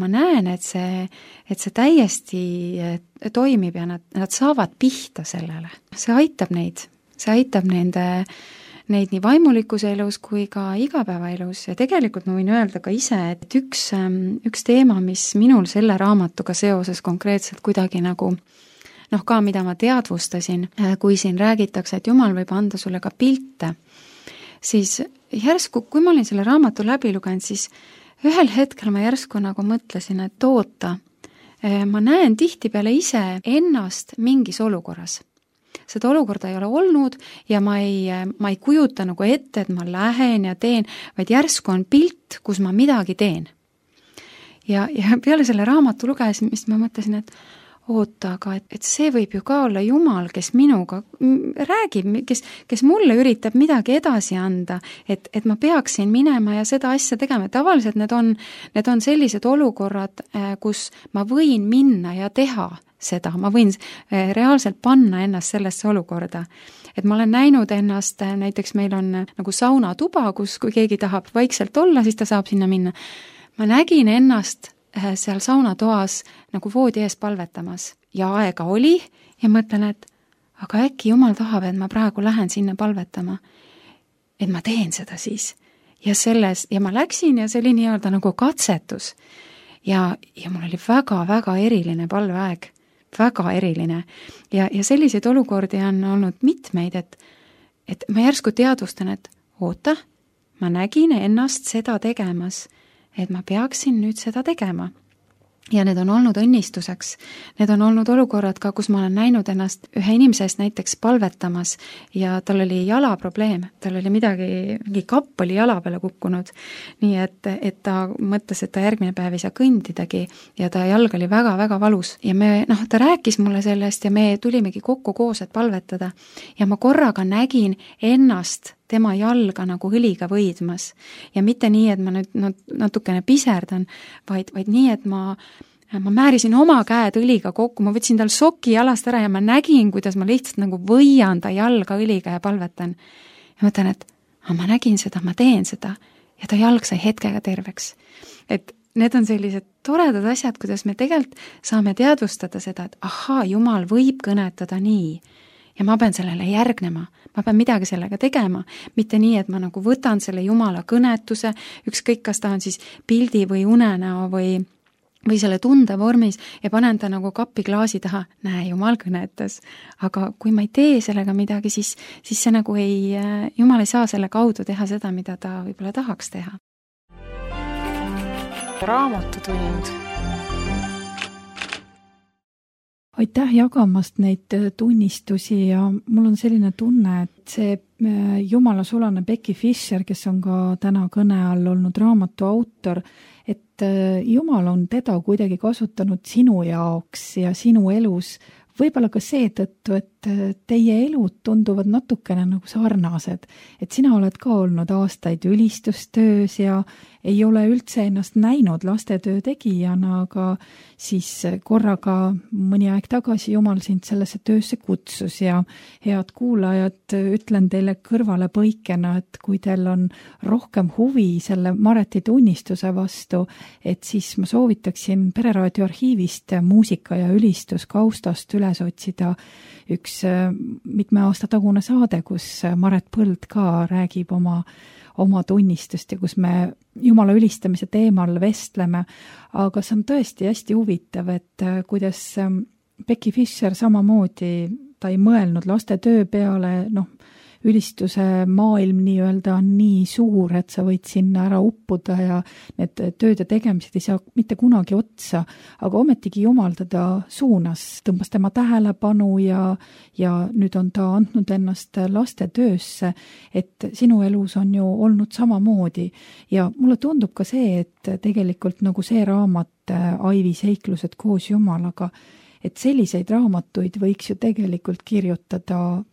ma näen, et see täiesti toimib ja nad saavad pihta sellele. See aitab neid nii vaimulikuse elus kui ka igapäevaelus ja tegelikult ma võin öelda ka ise, et üks teema, mis minul selle raamatuga seoses konkreetselt kuidagi nagu ka mida ma teadvustasin, kui siin räägitakse, et Jumal võib anda sulle ka pilte, siis järsku, kui ma olin selle raamatu läbi lugenud, siis ühel hetkel ma järsku nagu mõtlesin, et oota, ma näen tihtipeale ise ennast mingis olukorras. Seda olukorda ei ole olnud ja ma ei kujuta nagu ette, et ma lähen ja teen, vaid järsku on pilt, kus ma midagi teen. Ja peale selle raamatu lugesin, ma mõtlesin, et oota, aga et see võib ju ka olla Jumal, kes minuga räägib, kes mulle üritab midagi edasi anda, et ma peaksin minema ja seda asja tegema. Tavaliselt need on sellised olukorrad, kus ma võin minna ja teha seda, ma võin reaalselt panna ennast sellesse olukorda. Et ma olen näinud ennast, näiteks meil on nagu saunatuba, kus kui keegi tahab vaikselt olla, siis ta saab sinna minna. Ma nägin ennast seal saunatoas nagu voodi ees palvetamas ja aega oli ja mõtlen, et aga äkki Jumal tahab, et ma praegu lähen sinna palvetama, et ma teen seda siis. Ja ma läksin ja see oli nii-öelda nagu katsetus ja mul oli väga-väga eriline palveaeg, väga eriline ja selliseid olukordi on olnud mitmeid, et ma järsku teadvustan, et oota, ma nägin ennast seda tegemas, et ma peaksin nüüd seda tegema. Ja need on olnud õnnistuseks. Need on olnud olukorrad ka, kus ma olen näinud ennast ühe inimesest näiteks palvetamas ja tal oli jalaprobleem. Tal oli mingi kapp oli jala peale kukkunud. Nii et ta mõtles, et ta järgmine päev ei saa kõndidagi ja ta jalg oli väga-väga valus. Ja ta rääkis mulle sellest ja me tulimegi kokku koos, et palvetada. Ja ma korraga nägin ennast tema jalga nagu õliga võidmas. Ja mitte nii, et ma nüüd natukene piserdan, vaid nii, et ma määrisin oma käed õliga kokku, ma võtsin tal soki jalast ära ja ma nägin, kuidas ma lihtsalt nagu võian ta jalga õliga ja palvetan. Ja mõtlen, et ma nägin seda, ma teen seda ja ta jalg sai hetkega terveks. Et need on sellised toredad asjad, kuidas me tegelikult saame teadvustada seda, et ahaa, Jumal võib kõnetada nii. Ja ma pean sellele järgnema, ma pean midagi sellega tegema, mitte nii, et ma nagu võtan selle Jumala kõnetuse, ükskõik kas ta on siis pildi või unenäo või selle tunde vormis ja panen ta nagu kapiklaasi taha, näe, Jumal kõnetas. Aga kui ma ei tee sellega midagi, siis see nagu Jumal ei saa selle kaudu teha seda, mida ta võib-olla tahaks teha. Raamatutund. Aitäh jagamast neid tunnistusi ja mul on selline tunne, et see Jumala sulane Becky Fisher, kes on ka täna kõne all olnud raamatu autor, et Jumal on teda kuidagi kasutanud sinu jaoks ja sinu elus võib-olla ka seetõttu, et teie elud tunduvad natukene nagu sarnased, et sina oled ka olnud aastaid ülistustöös ja ei ole üldse ennast näinud lastetöö tegijana, aga siis korraga mõni aeg tagasi Jumal sind sellesse töösse kutsus ja head kuulajad, ütlen teile kõrvale põikena, et kui teil on rohkem huvi selle Mareti tunnistuse vastu, et siis ma soovitaksin Pereraadio arhiivist muusika ja ülistuskaustast üles otsida üks mitme aasta tagune saade, kus Maret Põld ka räägib oma tunnistust ja kus me Jumala ülistamise teemal vestleme, aga see on tõesti hästi huvitav, et kuidas Becky Fischer samamoodi, ta ei mõelnud laste töö peale, ülistuse maailm nii-öelda on nii suur, et sa võid sinna ära uppuda ja need tööd ja tegemised ei saa mitte kunagi otsa, aga ometigi Jumal teda suunas, tõmbas tema tähelepanu ja nüüd on ta andnud ennast laste töösse, et sinu elus on ju olnud samamoodi ja mulle tundub ka see, et tegelikult nagu see raamat Aivi seiklused koos Jumalaga, et selliseid raamatuid võiks ju tegelikult kirjutada,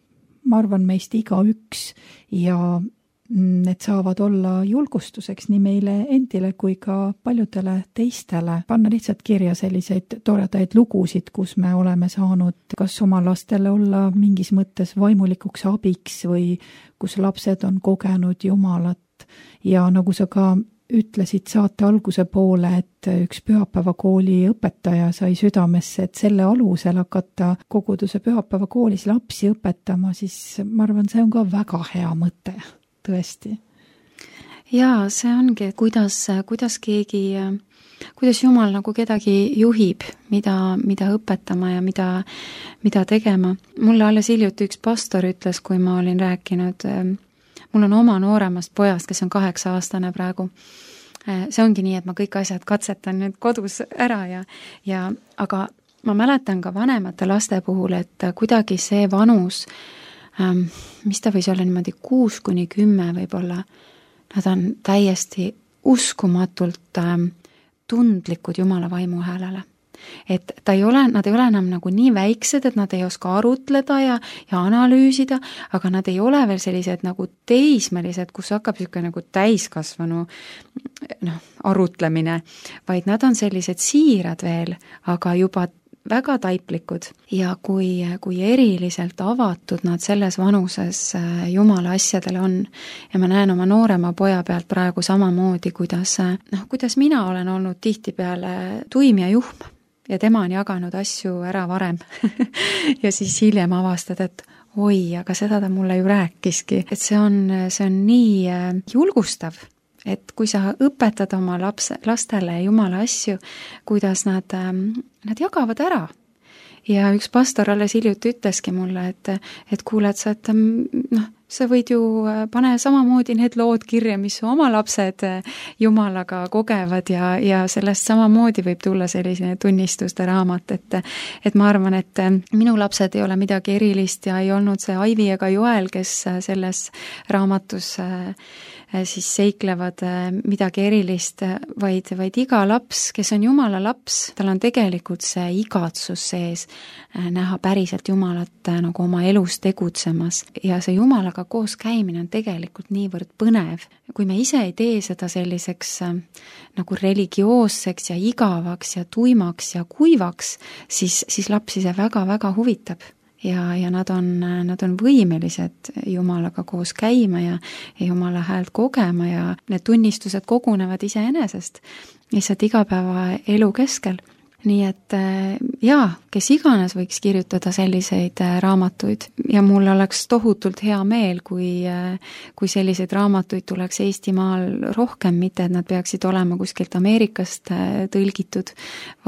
ma arvan, meist igaüks ja need saavad olla julgustuseks nii meile endile kui ka paljudele teistele. Panna lihtsalt kirja selliseid toredaid lugusid, kus me oleme saanud kas oma lastele olla mingis mõttes vaimulikuks abiks või kus lapsed on kogenud Jumalat ja nagu sa ka ütlesid saate alguse poole, et üks pühapäevakooli õpetaja sai südamesse, et selle alusel hakata koguduse pühapäevakoolis lapsi õpetama, siis ma arvan, see on ka väga hea mõte, tõesti. Jaa, see ongi, kuidas Jumal nagu kedagi juhib, mida õpetama ja mida tegema. Mulle alles hiljuti üks pastor ütles, kui ma olin rääkinud, mul on oma nooremast pojast, kes on 8-aastane praegu. See ongi nii, et ma kõik asjad katsetan nüüd kodus ära aga ma mäletan ka vanemate laste puhul, et kuidagi see vanus, mis ta võis olla niimoodi 6-10 võib-olla, nad on täiesti uskumatult tundlikud Jumala vaimu häälele. Et nad ei ole enam nagu nii väiksed, et nad ei oska arutleda ja analüüsida, aga nad ei ole veel sellised nagu teismelised, kus hakkab niisugune nagu täiskasvanu arutlemine, vaid nad on sellised siirad veel, aga juba väga taiplikud ja kui eriliselt avatud nad selles vanuses Jumala asjadele on ja ma näen oma noorema poja pealt praegu samamoodi, kuidas mina olen olnud tihtipeale tuim ja juhm ja tema on jaganud asju ära varem ja siis hiljem avastad, et oi, aga seda ta mulle ju rääkiski, et see on nii julgustav, et kui sa õpetad oma lastele Jumala asju, kuidas nad jagavad ära. Ja üks pastor alles hiljuti ütleski mulle, et kuuled sa, et sa võid ju pane samamoodi need lood kirja, mis su oma lapsed Jumalaga kogevad ja sellest samamoodi võib tulla selline tunnistuste raamat, et ma arvan, et minu lapsed ei ole midagi erilist ja ei olnud see Aivi ega Joel, kes selles raamatus siis seiklevad midagi erilist, vaid iga laps, kes on Jumala laps, tal on tegelikult see igatsus sees näha päriselt Jumalat nagu oma elus tegutsemas ja see Jumalaga koos käimine on tegelikult niivõrd põnev. Kui me ise ei tee seda selliseks nagu religioosseks ja igavaks ja tuimaks ja kuivaks, siis lapsi see väga-väga huvitab. Ja nad on võimelised Jumalaga koos käima ja Jumala häält kogema ja need tunnistused kogunevad iseenesest lihtsalt igapäeva elu keskel. Nii et kes iganes võiks kirjutada selliseid raamatuid ja mul oleks tohutult hea meel, kui selliseid raamatuid tuleks Eestimaal rohkem, mitte et nad peaksid olema kuskilt Ameerikast tõlgitud,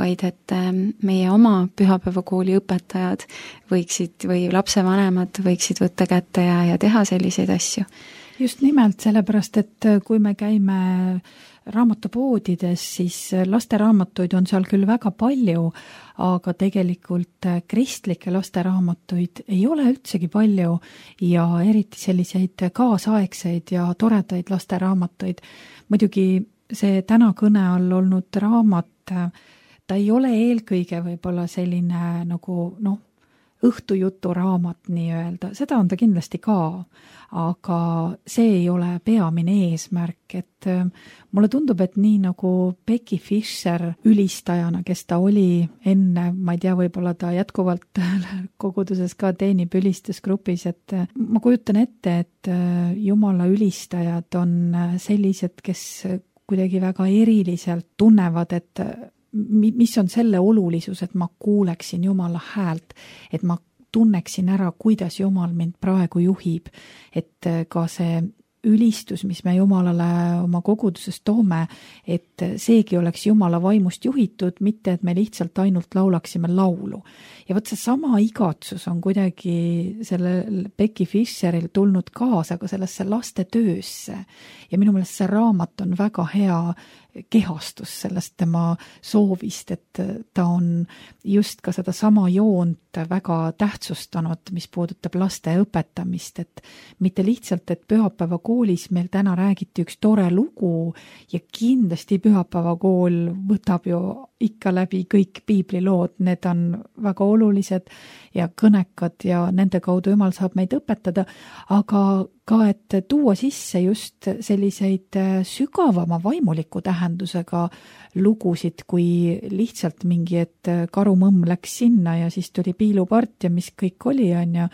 vaid et meie oma pühapäevakooli õpetajad või lapsevanemad võiksid võtta kätte ja teha selliseid asju. Just nimelt, sellepärast, et kui me käime raamatupoodides, siis lasteraamatuid on seal küll väga palju, aga tegelikult kristlikke lasteraamatuid ei ole üldsegi palju ja eriti selliseid kaasaegseid ja toredaid lasteraamatuid. Muidugi see täna kõne all olnud raamat, ta ei ole eelkõige võib-olla selline nagu õhtujuturaamat nii-öelda, seda on ta kindlasti ka, aga see ei ole peamine eesmärk, et mulle tundub, et nii nagu Becky Fisher ülistajana, kes ta oli enne, ma ei tea, võib-olla ta jätkuvalt koguduses ka teenib ülistusgrupis, et ma kujutan ette, et Jumala ülistajad on sellised, kes kuidagi väga eriliselt tunnevad, et mis on selle olulisus, et ma kuuleksin Jumala häält, et ma tunneksin ära, kuidas Jumal mind praegu juhib, et ka see ülistus, mis me Jumalale oma koguduses toome, et seegi oleks Jumala vaimust juhitud, mitte et me lihtsalt ainult laulaksime laulu. Ja võt see sama igatsus on kuidagi sellel Becky Fisheril tulnud kaasa ka sellesse laste töösse. Ja minu meelest see raamat on väga hea kehastus sellest tema soovist, et ta on just ka seda sama joont väga tähtsustanud, mis puudutab laste õpetamist, et mitte lihtsalt, et pühapäeva koolis meil täna räägiti üks tore lugu ja kindlasti pühapäeva kool võtab ju ikka läbi kõik piiblilood, need on väga olulised ja kõnekad ja nende kaudu Jumal saab meid õpetada, aga ka, et tuua sisse just selliseid sügavama vaimuliku tähendusega lugusid, kui lihtsalt mingi, et karumõmm läks sinna ja siis tuli piilupart ja mis kõik oli, on ju,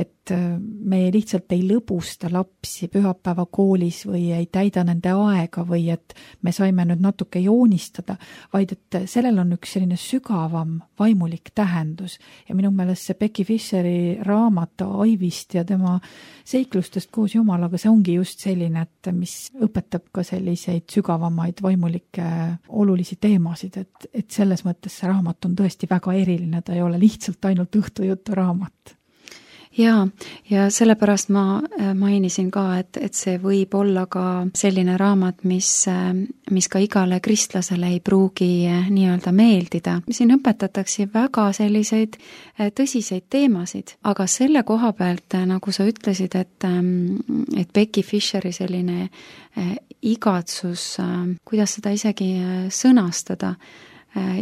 et me lihtsalt ei lõbusta lapsi pühapäeva koolis või ei täida nende aega või et me saime nüüd natuke joonistada, vaid et sellel on üks selline sügavam vaimulik tähendus ja minu meelest see Becky Fisheri raamat Aivist ja tema seiklustest koos Jumalaga, see ongi just selline, et mis õpetab ka selliseid sügavamaid vaimulikke olulisi teemasid, et selles mõttes see raamat on tõesti väga eriline, ta ei ole lihtsalt ainult õhtujutu raamat. Ja sellepärast ma mainisin ka, et see võib olla ka selline raamat, mis ka igale kristlasele ei pruugi nii-öelda meeldida. Siin õpetatakse väga selliseid tõsiseid teemasid, aga selle koha pealt, nagu sa ütlesid, et Becky Fisheri selline igatsus, kuidas seda isegi sõnastada,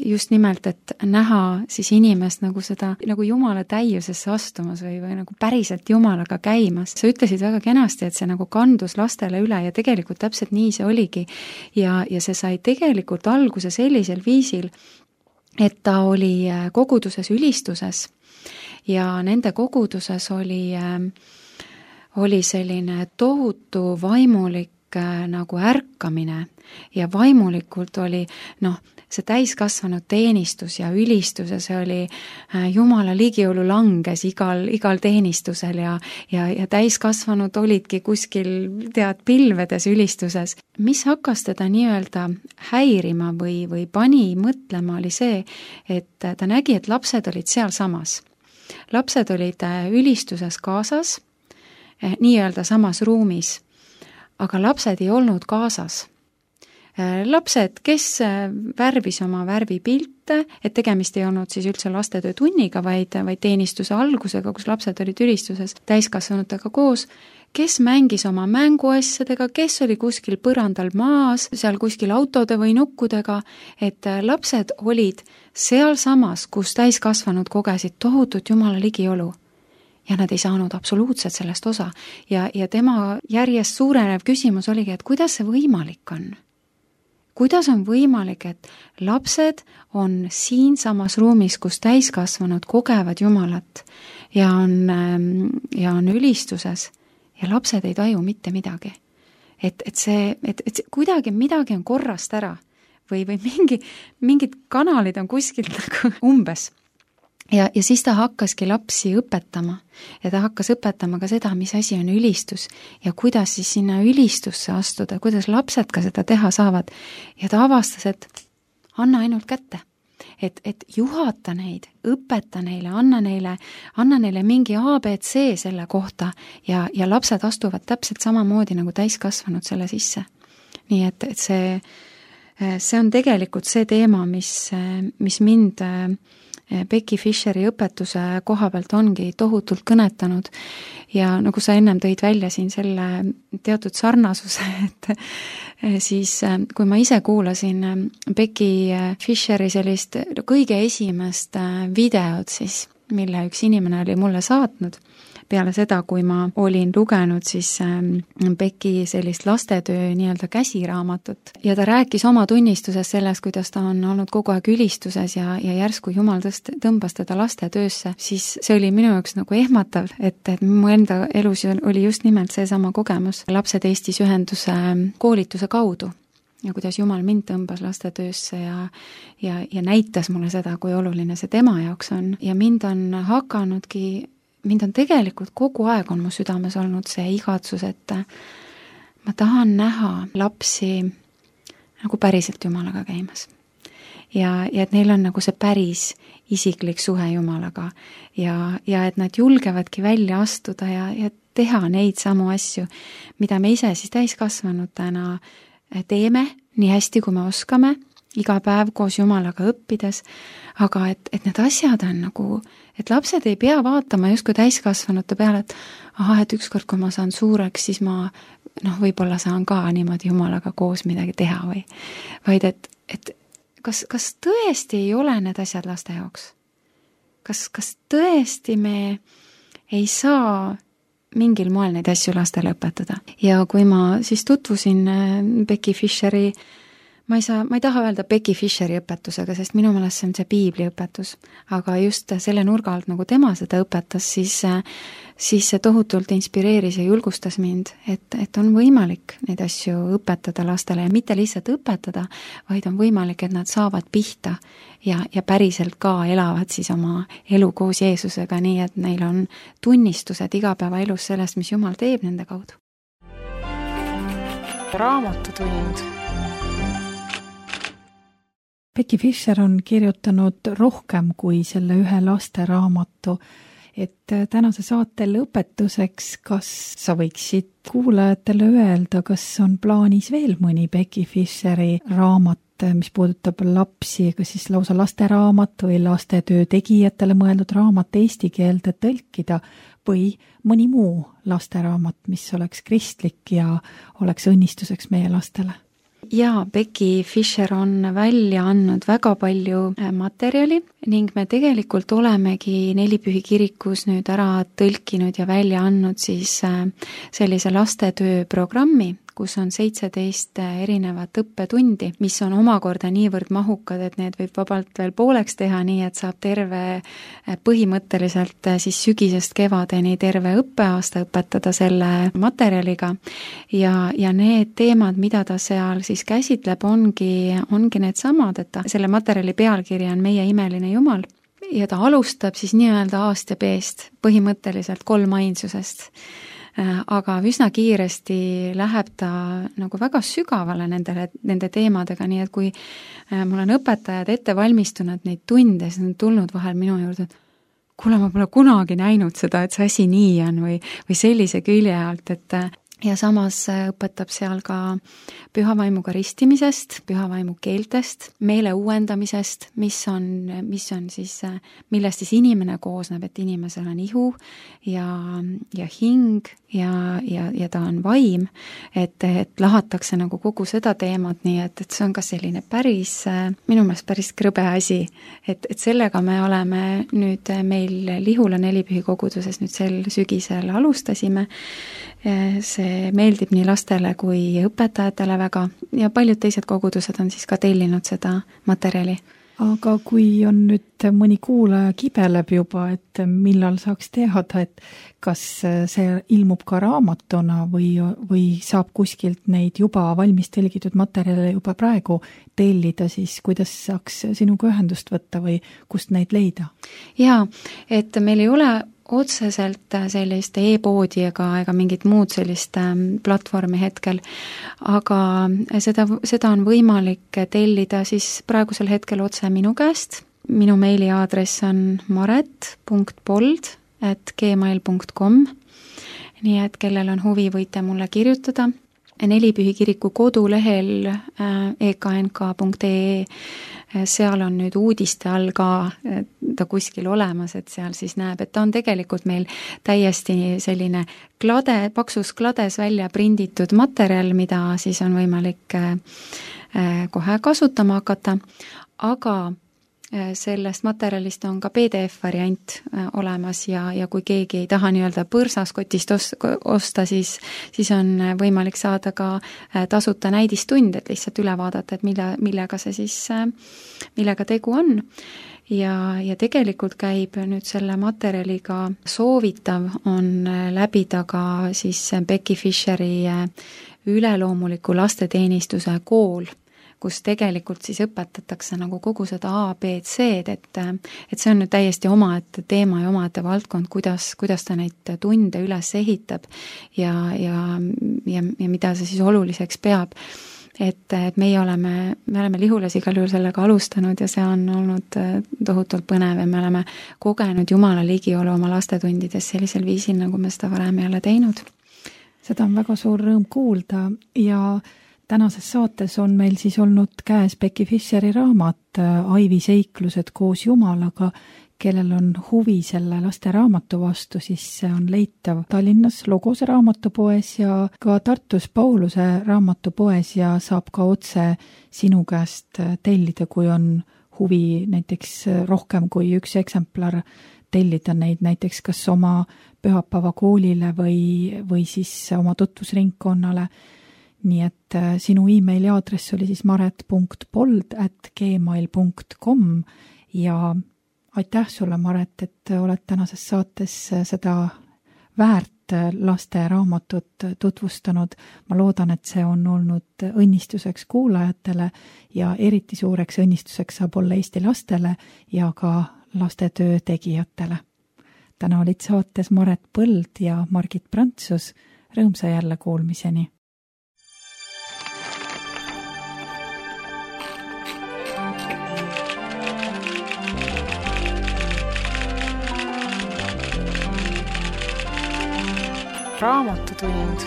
just nimelt, et näha siis inimest nagu seda, nagu Jumala täiusesse astumas või nagu päriselt Jumalaga käimas. Sa ütlesid väga kenasti, et see nagu kandus lastele üle ja tegelikult täpselt nii see oligi. Ja see sai tegelikult alguse sellisel viisil, et ta oli koguduses ülistuses ja nende koguduses oli selline tohutu vaimulik nagu ärkamine ja vaimulikult oli see täiskasvanud teenistus ja ülistus ja see oli Jumala ligiolu langes igal teenistusel ja täiskasvanud olidki kuskil pilvedes ülistuses. Mis hakkas teda nii-öelda häirima või pani mõtlema oli see, et ta nägi, et lapsed olid sealsamas. Lapsed olid ülistuses kaasas, nii-öelda samas ruumis, aga lapsed ei olnud kaasas. Lapsed, kes värvis oma värvipilte, et tegemist ei olnud siis üldse lastetöö tunniga, vaid teenistuse algusega, kus lapsed olid ülistuses täiskasvanutega koos, kes mängis oma mänguasjadega, kes oli kuskil põrandal maas, seal kuskil autode või nukkudega, et lapsed olid sealsamas, kus täiskasvanud kogesid tohutut Jumala ligiolu. Ja nad ei saanud absoluutselt sellest osa. Ja tema järjest suurenev küsimus oligi, et kuidas see võimalik on? Kuidas on võimalik, et lapsed on siinsamas ruumis, kus täiskasvanud kogevad Jumalat ja on ülistuses ja lapsed ei taju mitte midagi. Et kuidagi midagi on korrast ära või mingid kanalid on kuskilt nagu umbes. Ja siis ta hakkaski lapsi õpetama ja ta hakkas õpetama ka seda, mis asi on ülistus ja kuidas siis sinna ülistusse astuda, kuidas lapsed ka seda teha saavad. Ja ta avastas, et anna ainult kätte, et juhata neid, õpeta neile, anna neile mingi ABC selle kohta ja lapsed astuvad täpselt samamoodi nagu täiskasvanud selle sisse. Nii et see on tegelikult see teema, mis mind Becky Fisheri õpetuse koha pealt ongi tohutult kõnetanud ja nagu sa ennem tõid välja siin selle teatud sarnasuse, et siis kui ma ise kuulasin Becky Fisheri sellist kõige esimest videot, siis mille üks inimene oli mulle saatnud peale seda, kui ma olin lugenud siis Becky sellist lastetöö nii-öelda käsiraamatut. Ja ta rääkis oma tunnistusest sellest, kuidas ta on olnud kogu aeg ülistuses ja järsku Jumal tõmbas teda lastetöösse, siis see oli minu jaoks nagu ehmatav, et mu enda elus oli just nimelt seesama kogemus Lapsed Eestis ühenduse koolituse kaudu. Ja kuidas Jumal mind tõmbas lastetöösse ja näitas mulle seda, kui oluline see tema jaoks on. Ja mind on tegelikult kogu aeg on mu südames olnud see igatsus, et ma tahan näha lapsi nagu päriselt Jumalaga käimas. Ja et neil on nagu see päris isiklik suhe Jumalaga ja et nad julgevadki välja astuda ja teha neid samu asju, mida me ise siis täiskasvanutena teeme nii hästi, kui me oskame, iga päev koos Jumalaga õppides, aga et need asjad on nagu, et lapsed ei pea vaatama justkui täiskasvanute peale, et ükskord, kui ma saan suureks, siis ma võib-olla saan ka niimoodi Jumalaga koos midagi teha vaid et kas tõesti ei ole need asjad laste jaoks? Kas tõesti me ei saa mingil moel neid asju lastele õpetada? Ja kui ma siis tutvusin Becky Fisheri, ma ei taha öelda Becky Fisheri õpetusega, sest minu meelest see on see piibli õpetus, aga just selle nurga alt, nagu tema seda õpetas, siis see tohutult inspireeris ja julgustas mind, et on võimalik neid asju õpetada lastele ja mitte lihtsalt õpetada, vaid on võimalik, et nad saavad pihta ja päriselt ka elavad siis oma elu koos Jeesusega, nii et neil on tunnistused igapäevaelus sellest, mis Jumal teeb nende kaudu. Raamatutund. Becky Fisher on kirjutanud rohkem kui selle ühe lasteraamatu, et tänase saate lõpetuseks, kas sa võiksid kuulajatele öelda, kas on plaanis veel mõni Becky Fisheri raamat, mis puudutab lapsi, kas siis lausa lasteraamat või lastetöö tegijatele mõeldud raamat eesti keelde tõlkida või mõni muu lasteraamat, mis oleks kristlik ja oleks õnnistuseks meie lastele? Jaa, Becky Fisher on välja andnud väga palju materjali ning me tegelikult olemegi Nelipühi kirikus nüüd ära tõlkinud ja välja andnud siis sellise lastetöö programmi, kus on 17 erinevat õppetundi, mis on omakorda niivõrd mahukad, et need võib vabalt veel pooleks teha, nii et saab terve põhimõtteliselt siis sügisest kevadeni terve õppeaasta õpetada selle materjaliga ja need teemad, mida ta seal siis käsitleb, ongi need samad, et selle materjali pealkiri on Meie imeline Jumal ja ta alustab siis nii-öelda A-st ja B-st, põhimõtteliselt 3 ainsusest. Aga üsna kiiresti läheb ta nagu väga sügavale nende teemadega, nii et kui mul on õpetajad ette valmistunud neid tunde, siis on tulnud vahel minu juurde, et kuule, ma pole kunagi näinud seda, et see asi nii on või sellise külje alt, ja samas õpetab seal ka pühavaimuga ristimisest, pühavaimu keeltest, meele uuendamisest, mis on siis, millest siis inimene koosneb, et inimesel on ihu ja hing ja ta on vaim, et lahatakse nagu kogu seda teemat, nii et see on ka selline minu meelest päris krõbe asi, et sellega me oleme nüüd meil Lihula Nelipühi koguduses nüüd sel sügisel alustasime. See meeldib nii lastele kui õpetajatele väga ja paljud teised kogudused on siis ka tellinud seda materjali. Aga kui on nüüd mõni kuulaja kibeleb juba, et millal saaks teada, et kas see ilmub ka raamatuna või saab kuskilt neid juba valmis telgitud materjale juba praegu tellida, siis kuidas saaks sinuga ühendust võtta või kust neid leida? Jaa, et meil ei ole otseselt sellist e-poodi ega mingit muud sellist platvormi hetkel, aga seda on võimalik tellida siis praegusel hetkel otse minu käest. Minu meiliaadress on maret.pold@gmail.com, nii et kellel on huvi, võite mulle kirjutada. Nelipühi kiriku kodulehel eknk.ee, seal on nüüd uudiste all ka ta kuskil olemas, et seal siis näeb, et ta on tegelikult meil täiesti selline paksus klades välja prinditud materjal, mida siis on võimalik kohe kasutama hakata, aga sellest materjalist on ka PDF-variant olemas ja kui keegi ei taha nii-öelda põrsaskotist osta, siis on võimalik saada ka tasuta näidistund, et lihtsalt üle vaadata, et millega tegu on. Ja tegelikult käib nüüd selle materjaliga soovitav on läbida ka siis Becky Fisheri üleloomuliku lasteteenistuse kool, kus tegelikult siis õpetatakse nagu kogu seda A, B, C-d, et see on nüüd täiesti omaette teema ja omaette valdkond, kuidas ta neid tunde üles ehitab ja mida see siis oluliseks peab. Et meie oleme Lihulas igal juhul sellega alustanud ja see on olnud tohutult põnev ja me oleme kogenud Jumala ligiolu oma lastetundides sellisel viisil, nagu me seda varem ei ole teinud. Seda on väga suur rõõm kuulda ja tänases saates on meil siis olnud käes Becky Fisheri raamat Aivi seiklused koos Jumalaga. Kellel on huvi selle laste raamatu vastu, siis see on leitav Tallinnas Logose raamatupoes ja ka Tartus Pauluse raamatupoes ja saab ka otse sinu käest tellida, kui on huvi näiteks rohkem kui üks eksemplar tellida neid näiteks kas oma pühapäevakoolile või siis oma tutvusringkonnale. Nii et sinu emaili aadress oli siis maret.pold@gmail.com ja aitäh sulle, Maret, et oled tänases saates seda väärt laste raamatut tutvustanud. Ma loodan, et see on olnud õnnistuseks kuulajatele ja eriti suureks õnnistuseks saab olla Eesti lastele ja ka lastetöö tegijatele. Täna olid saates Maret Põld ja Margit Prantsus. Rõõmsa jälle kuulmiseni! Raamatutund.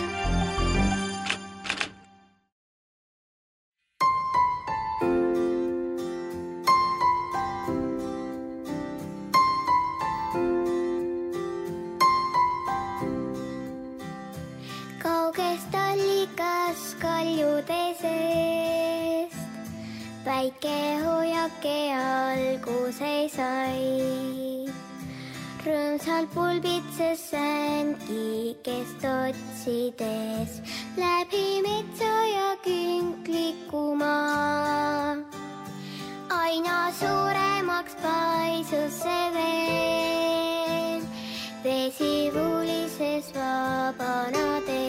Kaugest allikas kaljude seest väike hoiake alguse sai. Rõõmsal pulbitses sängi kest otsides läbi metsa ja künkliku maa. Aina suuremaks paisus see veel, vesi vuulises vabanades.